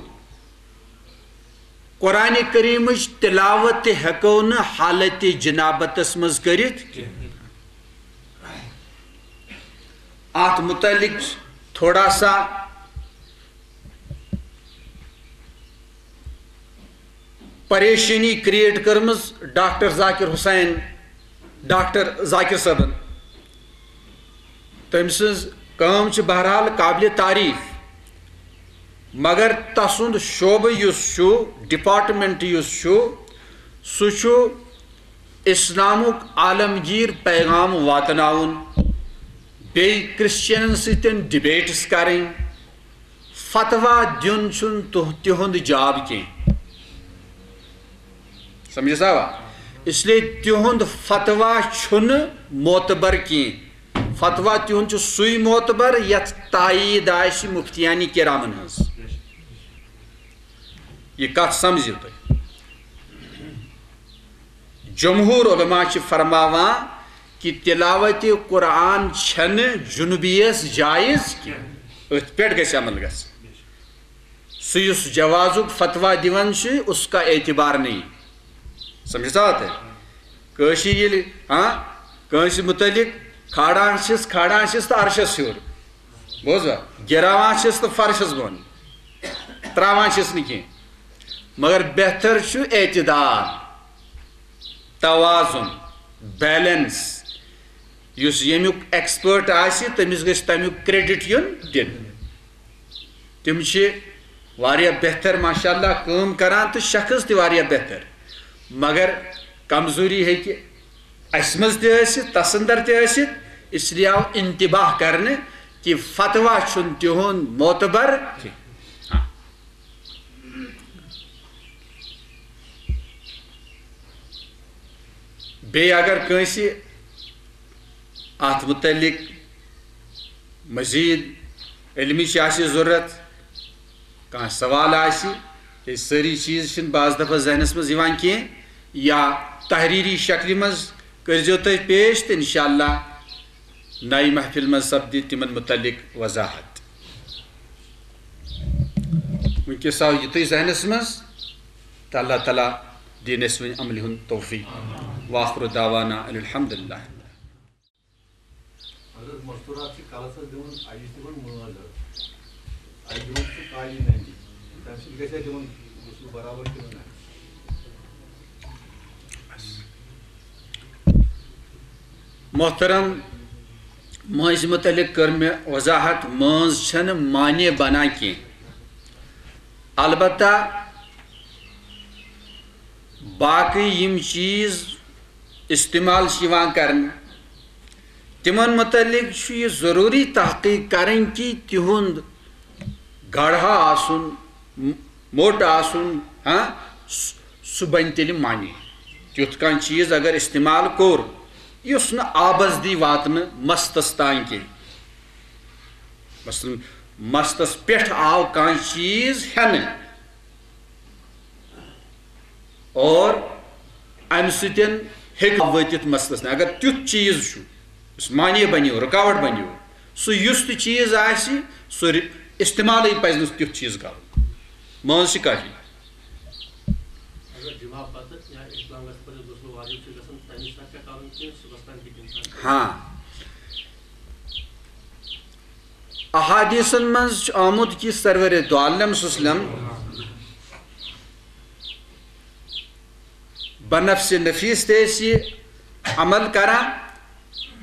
قرآن کریمٕچ تلاوت تہِ ہٮ۪کو نہٕ حالت جنابتس منٛز کٔرِتھ۔ اتھ متعلق چھِ تھوڑا سا پریشانی کریٹ کٔرمٕژ ڈاکٹر ذاکر حسین، ڈاکٹر ذاکر صٲبن۔ تٔمۍ سٕنٛز کٲم چھِ بہرحال قابل تعریف، مگر تسُنٛد شعبہٕ یُس چھُ، ڈپارٹمنٹ یُس چھُ، سُہ چھُ اسلامُک عالمگیر پیغام واتناوُن، بیٚیہِ کرسچنن سۭتۍ ڈبیٹس کرٕنۍ۔ فتوا دیُن چھُنہٕ تُہ-، تِہُنٛد جاب کینٛہہ۔ سمجھس آوا؟ اس لیے تِہُنٛد فتوا چھُنہٕ معتبر کینٛہہ۔ فتوا تِہُنٛد چھُ سُے معتبر یتھ تایید آسہِ مفتیان کرامن ہٕنٛز۔ یہِ کتھ سمجھِو تُہۍ۔ جمہور علماء چھِ فرماوان کہِ تلاوت قرآن چھنہٕ جنوبیس جائز کینٛہہ، أتھۍ پٮ۪ٹھ گژھِ عمل گژھُن۔ سُہ یُس جوازُک فتوا دِوان چھُ، اس کا اعتبار نہیں۔ سمجھتا ہوتا ہے؟ کٲشِر ییٚلہِ، ہاں، کٲنٛسہِ مُتعلق کھالان چھِس، کھالان چھِس تہٕ عرشس ہیوٚر۔ بوزوا؟ گِراوان چھِس تہٕ فرشس بۄن۔ تراوان چھِس نہٕ کینٛہہ۔ مگر بہتر چھُ اعتدال، توازن، بیلنس۔ یُس ییٚمیُک ایکسپٲرٹ آسہِ، تٔمِس گژھِ تَمیُک کریڈٹ یُن دِنہٕ۔ تِم چھِ واریاہ بہتر، ماشاء اللہ، کٲم کران تہٕ شخص تہِ واریاہ بہتر۔ مگر کمزوری ہیٚکہِ اَسہِ منٛز تہِ ٲسِتھ، تَس اندر تہِ ٲسِتھ، اس لیے آو انتباہ کرنہٕ کہِ فتوا چھُنہٕ تِہُنٛد معتبر کینٛہہ۔ ہاں۔ بیٚیہِ اگر کٲنٛسہِ اَتھ مُتعلق مزید علمٕچ آسہِ ضروٗرت، کانٛہہ سوال آسہِ، کیٛازِ سٲری چیٖز چھِنہٕ بعض دفعہ ذہنس منٛز یِوان کینٛہہ، یا تحریری شکلہِ منٛز کٔرۍزیو تُہۍ پیش، تہٕ انشاءاللہ نَیہِ محفل منٛز سپدِ تِمن مُتعلق وضاحت۔ وٕنکیٚس آو یِتُے ذہنس منٛز، تہٕ اللہ تعالیٰ دِنۍ اَسہِ وۄنۍ عملہِ ہُنٛد توفیق۔ وآخر دعوانا ان الحمد للہ۔ حضرت مستورات چھِ کلس حظ دِوان، اَجہِ چھِ دِوان مٲنٛز حظ۔ اَجہِ دِوان چھِ کالی ننٛدِ۔ تَمہِ سۭتۍ گژھِ اَسہِ دِوان غسل برابر کِنہٕ نہ؟ محترم، مٲنٛزِ مُتعلق کٔر مےٚ وضاحت، مٲنٛز چھَنہٕ مانع بنان کینٛہہ۔ البتہ باقٕے یِم چیٖز استعمال چھِ یِوان کرنہٕ، تِمن مُتعلق چھُ یہِ ضروٗری تحقیق کرٕنۍ کہِ تِہُنٛد گڑھا آسُن، م-، موٚٹ آسُن، ہاں، س-، سُہ بنہِ تیٚلہِ معنی۔ تیُتھ کانٛہہ چیٖز اگر استعمال کوٚر، یُس نہٕ آبس دی واتنہٕ مستس تام کینٛہہ۔ مثلاً، مستس پٮ۪ٹھ آو کانٛہہ چیٖز ہٮ۪نہٕ، اور امہِ سۭتۍ ہیٚکہِ وٲتِتھ مستس نہٕ۔ اگر تیُتھ چیٖز چھُ، یُس معنی بنیو، رُکاوٹ بنیو، سُہ یُس تہِ چیٖز آسہِ، سُہ ر-، استعمالٕے پزِ نہٕ تیُتھ چیٖز کرُن۔ مٲنٛز چھِ کٲفی۔ اگر جمعہ پتہٕ یا اِسلامس پتہٕ غسل واجب چھُ گژھان، تَمہِ ساتہٕ چھا کرُن کِنہٕ صُبحس تام ہیٚکہِ اِنسان کٔرِتھ؟ ہاں۔ احادیثن منٛز چھُ آمُت کہِ سرور دو عالم صلی اللہ علیہ وسلم بنفس نفیس تہِ ٲسۍ یہِ عمل کران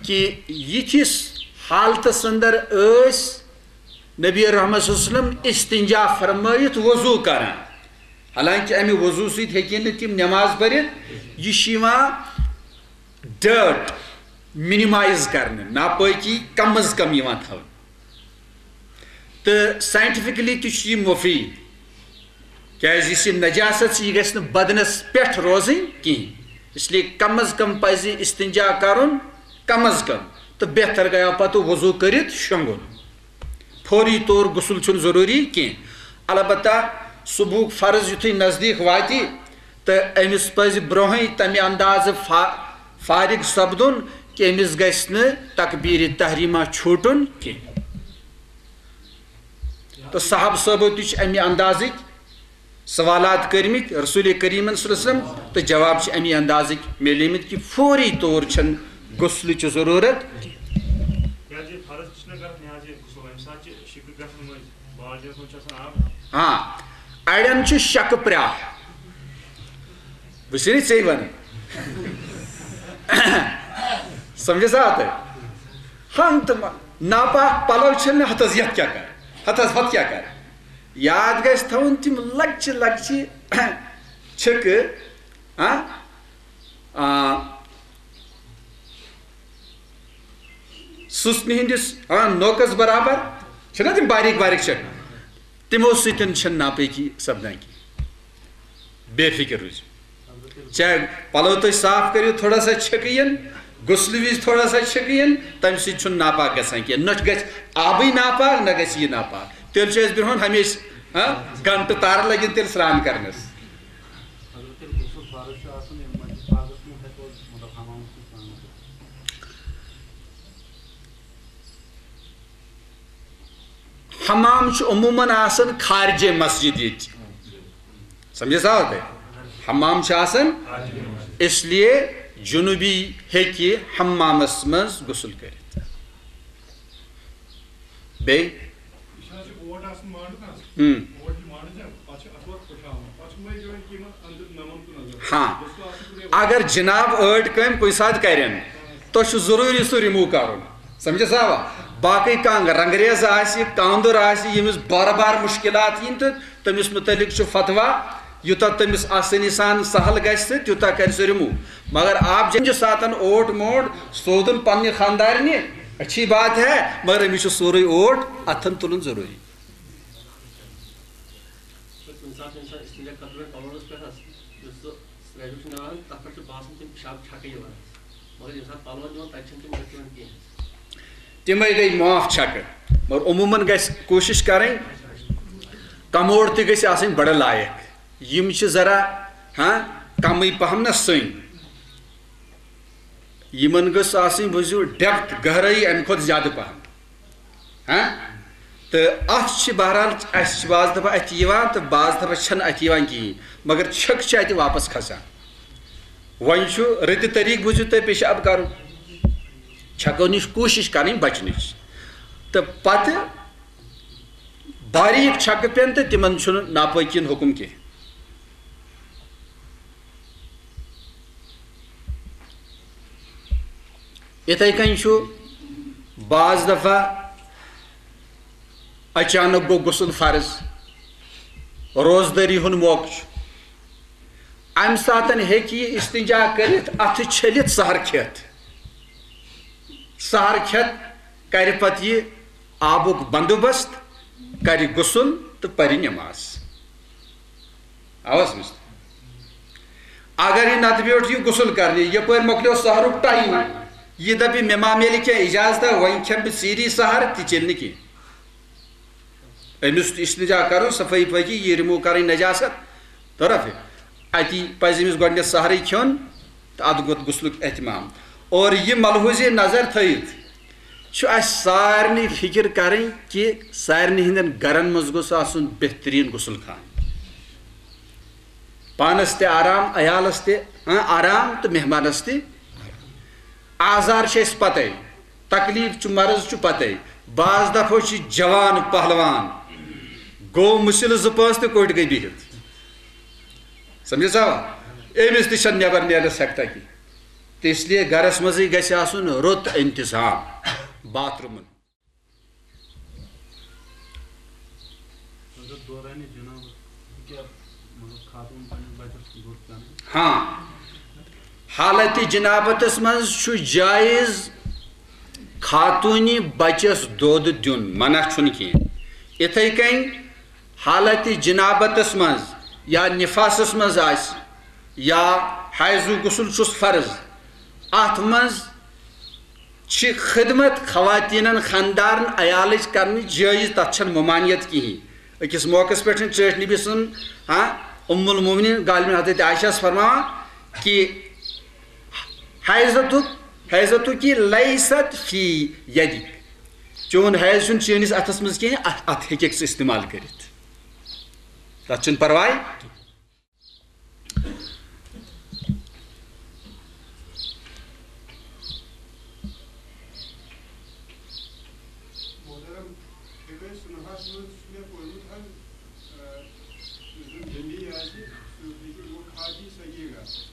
کہِ یِتھِس حالتس اندر ٲسۍ نبی رحمت صلی اللہ علیہ وسلم استنجا فرمٲیِتھ وضو کران۔ حالانکہ امہِ وضو سۭتۍ ہیٚکہِ نہٕ تِم نماز پٔرِتھ۔ یہِ چھُ یِوان ڈرٹ منیمائز کرنہٕ، ناپٲکی کم از کم یِوان تھاونہٕ۔ تہٕ سائنٹیفکلی تہِ چھُ یہِ مُفیٖد، کیازِ یُس یہِ نجاست چھِ، یہِ گژھِ نہٕ بدنس پٮ۪ٹھ روزٕنۍ کِہیٖنۍ۔ اس لیے کم از کم پزِ استنجا کرُن، کم از کم، تہٕ بہتر گٔیو پتہٕ وضو کٔرِتھ شۄنٛگُن۔ فوری طور غسل چھُنہٕ ضروٗری کینٛہہ۔ البتہ صبحُک فرض یُتھُے نزدیٖک واتہِ، تہٕ أمِس پزِ برونٛہٕے تمہِ اندازٕ فا-، فارغ سپدُن کہِ أمِس گژھِ نہٕ تکبیرِ تحریمہ چھوٗٹُن کینٛہہ۔ تہٕ صحابہٕ صٲبو تہِ چھِ اَمہِ اندازٕکۍ سوالات کٔرمٕتۍ رسول کریٖمن صلی اللہ علیہ وسلم، تہٕ جواب چھِ اَمہِ اندازٕکۍ میلیمٕتۍ کہِ فوری طور چھَنہٕ غسلٕچ ضروٗرت۔ یہِ حظ یہِ فرض تہِ چھِنہ کران، یہِ حظ یہِ غسل، اَمہِ ساتہٕ چھِ شِکہٕ گژھان مٔنٛزۍ، بالٹیٖنَس منٛز چھِ آسان آب۔ ہاں، اَڑٮ۪ن چھُ شکہٕ پرٛاہ۔ بہٕ چھُسے ژےٚ وَنان۔ سمجھس آ تۄہہِ؟ ہن تہٕ ما-، ناپاک پلو چھِنہٕ ہتس یتھ کیٛاہ کر؟ ہتس ہتھ کیٛاہ کر؟ یاد گژھِ تھاوُن تِم لۄکچہِ لۄکچہِ چھِکہٕ، ہاں؟ آ، سٕژنہِ ہٕنٛدِس، آ، نوکس برابر چھِنہ تِم باریک باریک چھِکہٕ؟ تِمو سۭتۍ چھَنہٕ ناپٲکی سپدان کینٛہہ۔ بے فکر روٗزِو۔ چاہے پلو تُہۍ صاف کٔرِو، تھوڑا سا چھِکہٕ یِن، غسلہٕ وِزِ تھوڑا سا چھِکہٕ یِن، تَمہِ سۭتۍ چھُنہٕ ناپاک گژھان کینٛہہ۔ نہ چھُ گژھِ آبٕے ناپاک، نہ گژھِ یہِ ناپاک۔ تیٚلہِ چھُ اَسہِ برٛونٛہہ ہمیشہِ، ہاں، گھنٹہٕ تارٕ لَگن تیٚلہِ سرٛان کرنَس۔ اگر تیٚلہِ غسل فرض چھُ آسان، ییٚمہِ منٛز چھِ پاکَس منٛز ہٮ۪کو، مطلب، حمامَس منٛز سرٛان کٔرِتھ؟ حمام چھُ عموماً آسان خارجے مسجد ییٚتہِ۔ سمجھس آو تۄہہِ؟ حمام چھُ آسان، اس لیے جنوبی ہیٚکہِ حمامس منٛز غسل کٔرِتھ۔ بیٚیہِ؟ یہِ چھُ حظ یہِ اوٹ آسان مانڈٕ نہ حظ؟ ہم۔ اوٹ یہِ مانڈٕ چھا، پتہٕ چھِ اَتھ وَتھ پھٕٹھراوان۔ پتہٕ چھُ وۄنۍ یِوان کہِ یِمن أنٛدرٕ نَمَن کُن نظر۔ ہاں۔ گوٚژھ نہٕ آسُن کُنے۔ اگر جناب أڑۍ کامہِ کُنہِ ساتہٕ کرن، تۄہہِ چھُ ضروٗری سُہ remove کرُن۔ سمجھس آوا؟ باقٕے کانٛہہ رنگریز آسہِ، کانٛدُر آسہِ، ییٚمِس بار بار مُشکِلات یِن تہٕ تٔمِس مُتعلِق چھُ فتویٰ، یوٗتاہ تٔمِس آسٲنی سان سہل گژھِ تہٕ تیوٗتاہ کرِ سُہ remove۔ مگر آپ جنجہِ ساتن اوٹ موٹ سوزُن پننہِ خاندارنہِ، اچھی بات ہے، مگر أمِس چھُ سورُے اوٹ اتھن تُلُن ضروٗری۔ تہٕ کُنہِ ساتہٕ چھُ اِنسان استنجا کرنہٕ پلوَس پٮ۪ٹھ حظ، یُس سُہ سرٛیٚہیُک چھُ نیران، تَتھ پٮ۪ٹھ چھُ باسان تِم پِشاب چھَکہٕ یِوان حظ۔ مگر ییٚمہِ ساتہٕ پَلوَن دِوان، تَتہِ چھَنہٕ تِم گژھان کینٛہہ حظ۔ تِمَے گٔے معاف چھَکہٕ۔ مگر عموٗمَن گژھِ کوٗشِش کَرٕنۍ، کموڈ تہِ گژھِ آسٕنۍ بڑٕ لایق۔ یِم چھِ ذرا، ہاں، کمٕے پہم نہ سٔنۍ۔ یِمن گٔژھ آسٕنۍ، بوٗزِو، depth، گہرٲیی اَمہِ کھۄتہٕ زیادٕ پہم۔ ہاں؟ تہٕ اَتھ چھِ بہرحال، اَسہِ چھِ بعض دفعہ اَتھِ یِوان تہٕ بعض دفعہ چھَنہٕ اَتھِ یِوان کِہیٖنۍ، مگر چھِکہٕ چھِ اَتہِ واپس کھسان۔ وۄنۍ چھُ رٕتہِ طریٖقہٕ، بوٗزِو تُہۍ، پیشاب کَرُن۔ چھَکو نِش کوٗشِش کَرٕنۍ بَچنٕچ۔ تہٕ پَتہٕ باریٖک چھَکہٕ پٮ۪ن تہٕ تِمن چھُنہٕ ناپٲکی ہُنٛد حُکُم کینٛہہ۔ یِتھَے کٔنۍ چھُ بعض دفعہ اچانک گوٚو غسل فرض، روزدٲری ہُنٛد موقعہٕ چھُ، اَمہِ ساتہٕ ہیٚکہِ یہِ استنجا کٔرِتھ، اَتھٕ چھٔلِتھ سحر کھٮ۪تھ۔ سحر کھٮ۪تھ کرِ پتہٕ یہِ آبُک بندوبست، کرِ غسل تہٕ پرِ نماز۔ آوا سمجھ؟ اگر یہِ نتہٕ بیوٗٹھ یہِ غسل کرنہِ، یپٲرۍ مۄکلیو سحرُک time، یہِ دپہِ، مےٚ ما میلہِ کینٛہہ اجازت، وۄنۍ کھٮ۪مہٕ بہٕ ژیٖری سحر، تہِ چلہِ نہٕ کینٛہہ۔ أمِس استنجا کرُن، صفٲیی پٲکی، یہِ remove کرٕنۍ نجاست، طرف۔ اتی پزِ أمِس گۄڈٕنٮ۪تھ سحرٕے کھیوٚن تہٕ ادٕ گوٚو غسلُک اہتمام۔ اور یہِ ملحوظ نظر تھٲیِتھ چھُ اَسہِ سارنٕے فِکر کرٕنۍ کہِ سارنٕے ہٕنٛدٮ۪ن گرن منٛز گوٚژھ آسُن بہتریٖن غسل خانہٕ۔ پانس تہِ آرام، عیالس تہِ، ہاں، آرام تہٕ مہمانس تہِ۔ آزار چھِ اَسہِ پتے، تکلیف چھُ، مرض چھُ پتے۔ بعض دفعہ چھِ جوان پہلوان گوٚو مُسِلہٕ زٕ پانٛژھ تہٕ کوٚٹھۍ گٔے بِہِتھ۔ سمجھس آوا؟ أمِس تہِ چھَنہٕ نٮ۪بر نیرنس ہٮ۪کتھا کینٛہہ۔ تہٕ اس لیے گرس منٛزٕے گژھِ آسُن رُت انتظام باتھ روٗمن۔ حضرت دورانِ جنابت کیٛاہ، مطلب، خاتون پننِس بچس دۄد چٮ۪نہٕ؟ ہاں، حالتِ جنابتس منٛز چھُ جٲیز خاتوٗنہِ بچس دۄد دیُن، منع چھُنہٕ کینٛہہ۔ یِتھَے کٔنۍ حالتِ جنابتس منٛز یا نفاسس منٛز آسہِ یا حیضُک غسل چھُس فرض، اتھ منٛز چھِ خدمت خواتینن، خاندارن، عیالٕچ کرنٕچ جٲیز، تتھ چھنہٕ ممانعت کِہیٖنۍ۔ أکِس موقعس پٮ۪ٹھ چھِ ٹٲٹھۍ نبی سُنٛد، ہاں، ام المومنین گالمن حضرت عائشہ ہس فرماوان کہِ حیضتُک، حیضتُک لیست فی یدک، چون حیض چھُنہٕ چٲنِس اَتھَس منٛز کینٛہہ، اَتھ، اَتھ ہیٚکٮ۪کھ ژٕ استعمال کٔرِتھ، تَتھ چھُنہٕ پَرواے۔ محترم، فقہ سنہَس منٛز چھُ مےٚ پوٚرمُت حظ، آ، یُس زَن جمی آسہِ، سُہ ہیٚکہِ وۄنۍ خاکی صغیٖر آسہِ۔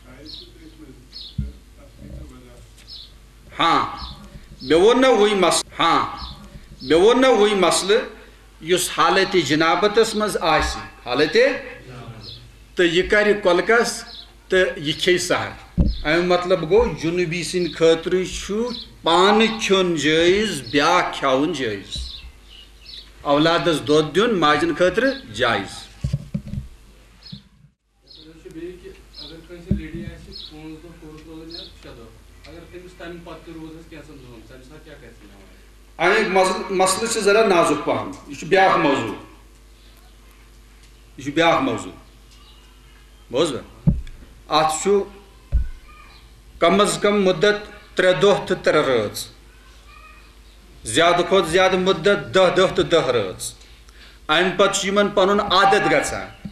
شاید چھُ تٔتھۍ منٛز، تہٕ تَتھ ہیٚکہِ وضاحت۔ ہاں، مےٚ ووٚن نہ وٕنۍ مس-، ہاں، مےٚ ووٚن نہ وٕنۍ مسلہٕ، یُس حالتِ جنابتس منٛز آسہِ، حالتِ، تہٕ یہِ کرِ کۄلکس تہٕ یہِ کھیٚیہِ سحر۔ اَمیُک مطلب گوٚو، جنوٗبی سٕنٛدِ خٲطرٕ چھُ پانہٕ کھیوٚن جٲیز، بیٛاکھ کھیاوُن جٲیز۔ اولادس دۄد دیُن ماجن خٲطرٕ جٲیز۔ یَتھ منٛز چھُ بیٚیہِ کہِ اگر کٲنٛسہِ لٔڑی آسہِ پانٛژھ دۄہ کوٚرُکھ روزان یا شےٚ دۄہ، اگر تٔمِس تَمہِ پَتہٕ تہِ روٗد حظ کینٛژھن دۄہَن، تَمہِ ساتہٕ کیٛاہ کَرِ سُہ نٮ۪ماز؟ اَمیُک مس-، مسلہٕ چھُ ذرا نازُک پَہَم۔ یہِ چھُ بیٛاکھ موضوع۔ یہِ چھُ بیٛاکھ موضوع۔ بوٗزوٕ؟ اَتھ چھُ کم از کم مُدت ترٛےٚ دۄہ تہٕ ترٛےٚ رٲژ۔ زیادٕ کھۄتہٕ زیادٕ مُدت دَہ دۄہ تہٕ دَہ رٲژ۔ اَمہِ پتہٕ چھُ یِمن پنُن عادت گژھان۔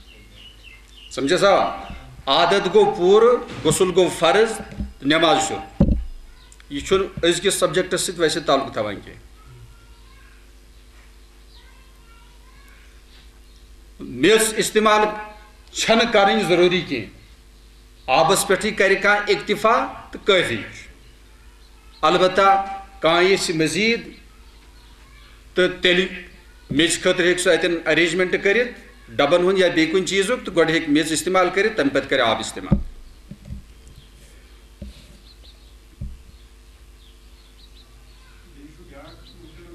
سمجھس آ؟ عادت گوٚو پوٗرٕ، غسل گوٚو فرض، نٮ۪ماز چھُ۔ یہِ چھُنہٕ أزکِس subjectس سۭتۍ ویسے تعلق تھاوان کینٛہہ۔ میٚژ استعمال چھنہٕ کرٕنۍ ضروٗری کینٛہہ۔ آبس پٮ۪ٹھٕے کرِ کانٛہہ اکتفا تہٕ کٲفی چھُ۔ البتہ کانٛہہ یژھِ مزید تہٕ تیٚلہِ میٚژِ خٲطرٕ ہیٚکہِ سُہ اتٮ۪ن arrangement کٔرِتھ، ڈبن ہُنٛد یا بیٚیہِ کُنہِ چیٖزُک، تہٕ گۄڈٕ ہیٚکہِ میٚژ استعمال کٔرِتھ، تمہِ پتہٕ کرِ آب استعمال۔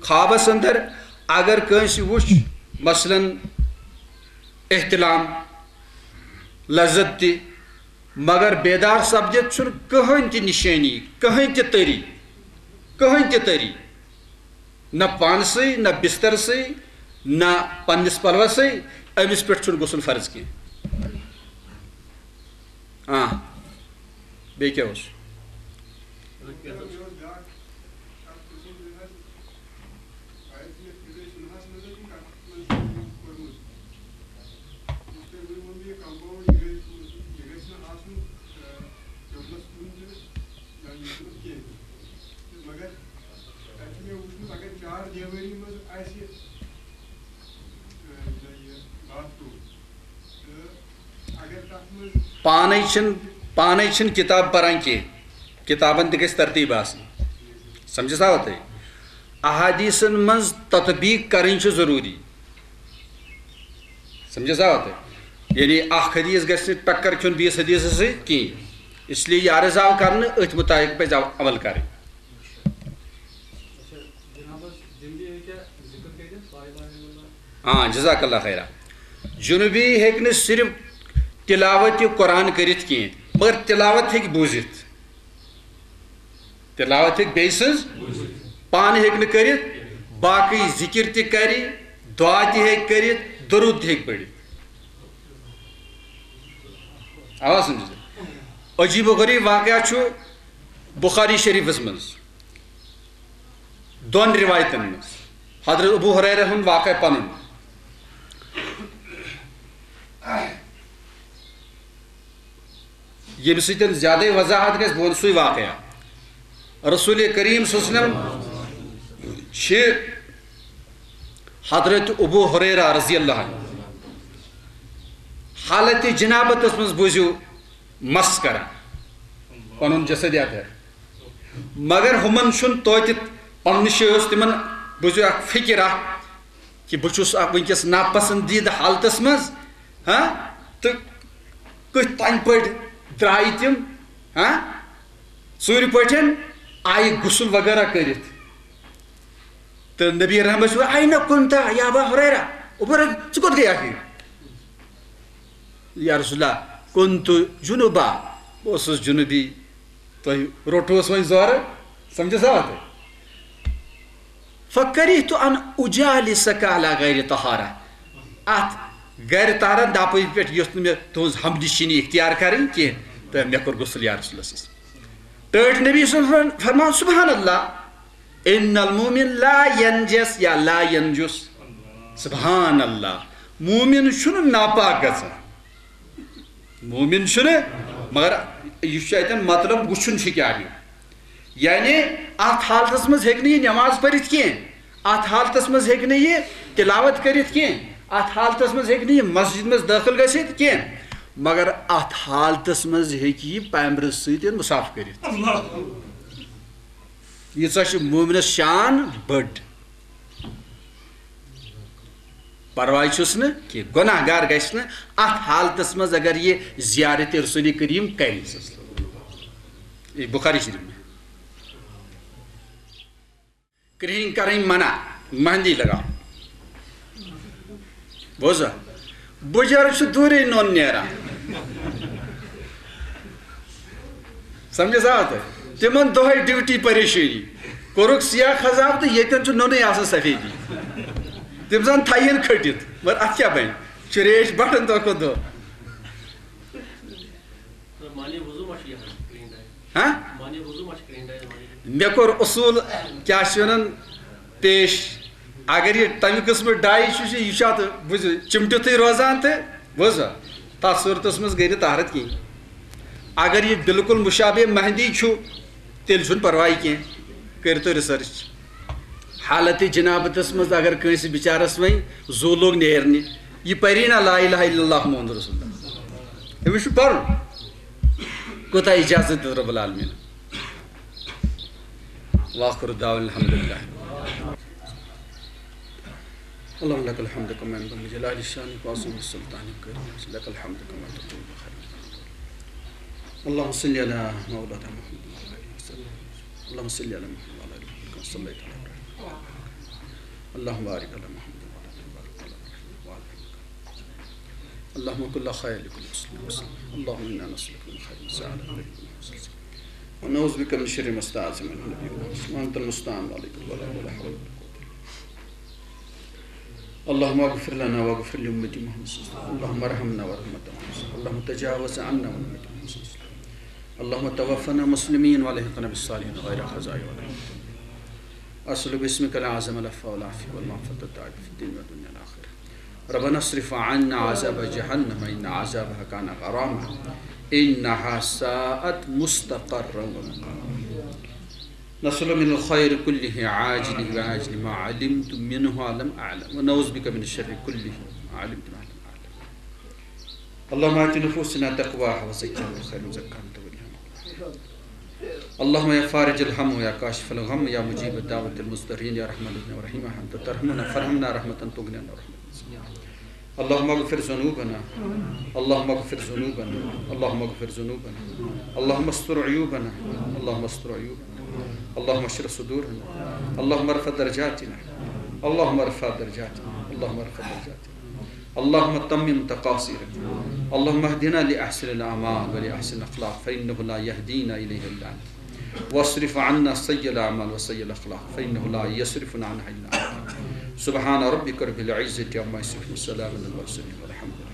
خوابس اندر اگر کٲنٛسہِ وُچھ، مثلاً احتلام، لذت تہِ، مگر بیدار سپدِتھ چھُنہٕ کٕہٕنۍ تہِ نِشٲنی، کٕہٕنۍ تہِ تٔری، کٕہٕنۍ تہِ تٔری، نہ پانسٕے، نہ بسترسٕے، نہ پننِس پلوسٕے، أمِس پٮ۪ٹھ چھُنہٕ غسل فرض کینٛہہ۔ آ، بیٚیہِ کیٛاہ اوس؟ پانے چھِنہٕ، پانے چھِنہٕ کِتاب پران کینٛہہ، کِتابن تہِ گژھِ ترتیٖب آسٕنۍ۔ سمجھس آوا تۄہہِ؟ احادیثن منٛز تطبیق کرٕنۍ چھِ ضروٗری۔ سمجھس آوا تۄہہِ؟ یعنی اکھ حدیث گژھِ نہٕ ٹکر کھیوٚن بیٚیِس حدیثس سۭتۍ کینٛہہ، اس لیے یہِ عرض آو کرنہٕ، أتھۍ مُطابق پزِ عمل کرٕنۍ۔ اچھا، جناب حظ، جنبی ہیٚکیٛاہ ذکر کٔرِتھ؟ لا الہ الا اللہ۔ ہاں، جزاک اللہ خیرا۔ جنوبی ہیٚکہِ نہٕ صرف تلاوت قرآن کٔرِتھ کینٛہہ، مگر تلاوت ہیٚکہِ بوٗزِتھ۔ تلاوت ہیٚکہِ بیٚیہِ سٕنٛز، پانہٕ ہیٚکہِ نہٕ کٔرِتھ، باقٕے ذکر تہِ کرِ، دعا تہِ ہیٚکہِ کٔرِتھ، درود تہِ ہیٚکہِ پٔرِتھ۔ آوا سمجھِتھ؟ عجیب و غریب واقعہ چھُ بخاری شریفس منٛز۔ دۄن روایتن منٛز حضرت ابو ہریرہ ہُنٛد واقعہ پنُن، ییٚمہِ سۭتۍ زیادَے وضاحت گژھِ، بہٕ وَنہٕ سُے واقعہ۔ رسول کریم صلی اللہ علیہ وسلم چھِ حضرت ابو ہریرہ رضی اللہ عنہ حالت جنابتس منٛز بوٗزِو مس کران، پنُن جسد یتھ۔ مگر ہُمن چھُنہٕ توتہِ پننہِ جایہِ اوس تِمن، بوٗزِو، اکھ فکر اکھ کہِ بہٕ چھُس اکھ وٕنکیٚس ناپسندیدٕ حالتس منٛز، ہاں، تہٕ کِتھ تنہِ پٲٹھۍ درٛایہِ تِم، ہاں، ژوٗرِ پٲٹھۍ آیہِ غسل وغیرہ کٔرِتھ۔ تہٕ نبی رحمت چھُ، "أين كنت يا أبا هريرة؟" ابو ہریرہ، ژٕ کوٚت گٔیکھ؟ یا رسول اللہ، كنت جنبا، بہٕ اوسُس جنوبی، تۄہہِ روٚٹوس وۄنۍ زورٕ، سمجھس آوا تۄہہِ؟ فكرهت أن أجالسك على غير طهارة۔ اتھ غیر طہارت دپٲرۍ پٮ۪ٹھ یۄژھ نہٕ مےٚ تُہنٛز ہمنشینی اختیار کرٕنۍ کینٛہہ، تہٕ مےٚ کوٚر غسل یا رسول اللہ صلی اللہ علیہ وسلم۔ ٹٲٹھۍ نبی صلی اللہ علیہ وسلم فرمان، سبحان اللہ، ان المؤمن لا ينجس یا لا ينجس۔ سبحان اللہ، مومن چھُنہٕ ناپاک گژھان۔ مومن چھُنہٕ، مگر یہِ چھُ اَتٮ۪ن مطلب وٕچھُن چھُ کیٛاہ یہِ۔ یعنی اَتھ حالتس منٛز ہیٚکہِ نہٕ یہِ نٮ۪ماز پٔرِتھ کینٛہہ، اَتھ حالتس منٛز ہیٚکہِ نہٕ یہِ تِلاوت کٔرِتھ کینٛہہ، اَتھ حالتس منٛز ہیٚکہِ نہٕ یہِ مسجد منٛز دٲخل گٔژھِتھ کینٛہہ، مگر اَتھ حالتس منٛز ہیٚکہِ یہِ پیمرٕ سۭتۍ مُساف کٔرِتھ۔ ییٖژاہ چھِ مومنس شان بٔڑ۔ پرواے چھُس نہٕ کینٛہہ، گۄناہ گار گژھِ نہٕ اتھ حالتس منٛز اگر یہِ زیارت رسول کریم کرِ۔ یہِ بخاری شریف میں۔ کرٛہِنۍ کرٕنۍ منع، مہندی لگاو۔ بوزا، بُجر چھُ دوٗرے نوٚن نیران۔ سمجھس آو تۄہہِ؟ تِمن دۄہے ڈیوٹی پریشٲنی۔ کوٚرُکھ سیاہ خزاب تہٕ ییٚتٮ۪ن چھُ نوٚنُے آسان سفیدی۔ تِم زن تھاوہن کھٔٹِتھ، مگر اتھ کیٛاہ بنہِ؟ چھُ ریش بڑان دۄہ کھۄتہٕ دۄہ۔ معنی وضو ما چھُ یہِ حظ کرٛہِنۍ ڈاے؟ ہاں؟ معنی وضو ما چھُ کرٛہِنۍ ڈاے معنی؟ مےٚ کوٚر اصوٗل، کیٛاہ چھِ ونان، پیش۔ اگر یہِ تمہِ قٕسمہٕ ڈاے چھُ، یہِ چھُ اتھ، بوٗزِو، چِمٹِتھٕے روزان تہٕ بوٗزوا، تتھ صوٗرتس منٛز گٔے نہٕ طہارت کِہیٖنۍ۔ اگر یہِ بالکل مشابہ مہندی چھُ، تیٚلہِ چھُنہٕ پرواے کینٛہہ، کٔرِو تُہۍ ریسرچ۔ حالت جنابتس منٛز اگر کٲنٛسہِ بچارس وۄنۍ زُو لوٚگ نیرنہِ، یہِ پری نا لا الہ الا اللہ محمد رسول اللہ، أمِس چھُ پرُن۔ کوٗتاہ اجازت دیُت رب العالمین؟ واخر دعوانا الحمد لله۔ اللهم لك الحمد كما ينبغي لجلال شانك وعظيم سلطانك وكرمك، لك الحمد كما تقول بخير. اللهم صل على مولانا محمد وعلى آله وسلم. اللهم صل على محمد وعلى آل محمد كما صليت على إبراهيم وعلى آل إبراهيم. اللهم بارك على محمد وعلى آل محمد وعلى آل إبراهيم. اللهم كن لنا خيرا لكل مسلم ومسلمة. اللهم إنا نسألك من خير ما سألك منه نبيك محمد صلى الله عليه وسلم. ونعوذ بك من شر ما استعاذ منه نبيك محمد صلى الله عليه وسلم. وأنت المستعان وعليك البلاغ ولا حول ولا قوة إلا بالله. اللهم اغفر لنا واغفر لأمة محمد صلى الله عليه وسلم. اللهم ارحمنا وارحم أمة محمد صلى الله عليه وسلم. اللهم تجاوز عنا وعن أمة محمد صلى الله عليه وسلم. اللهم توفنا مسلمين وألحقنا بالصالحين غير خزايا ولا مفتونين. أسألك باسمك الأعظم العفو والعافية والمعافاة الدائمة في الدين والدنيا والآخرة. ربنا اصرف عنا عذاب جهنم إن عذابها كان غراما إنها ساءت مستقرا ومقاما. نسألك من الخير كله عاجله وآجله ما علمت منه ولم أعلم ونعوذ بك من الشر كله ما علمت منه ولم أعلم. اللهم آت نفوسنا تقواها وزكها أنت خير من زكاها أنت وليها مولاها. اللهم يا فارج الهم ويا كاشف الغم يا مجيب دعوة المضطرين يا رحمن الرحيم أنت ترحمنا فارحمنا رحمة تغنينا ورحمة. اللهم اغفر ذنوبنا. اللهم اغفر ذنوبنا. اللهم اغفر ذنوبنا. اللهم استر عيوبنا. اللهم استر عيوبنا. اللهم اشرح صدورنا. اللهم ارفع درجاتنا. اللهم ارفع درجاتنا. اللهم ارفع درجاتنا. اللهم تمم تقاصيرنا. اللهم اهدنا لأحسن الأعمال ولأحسن الأخلاق، فإنه لا يهدينا إليها إلا أنت. واصرف عنا سيء الأعمال وسيء الأخلاق، فإنه لا يصرفنا عنها إلا أنت. سبحان ربك رب العزة عما يصفون، وسلام على المرسلين، والحمد لله.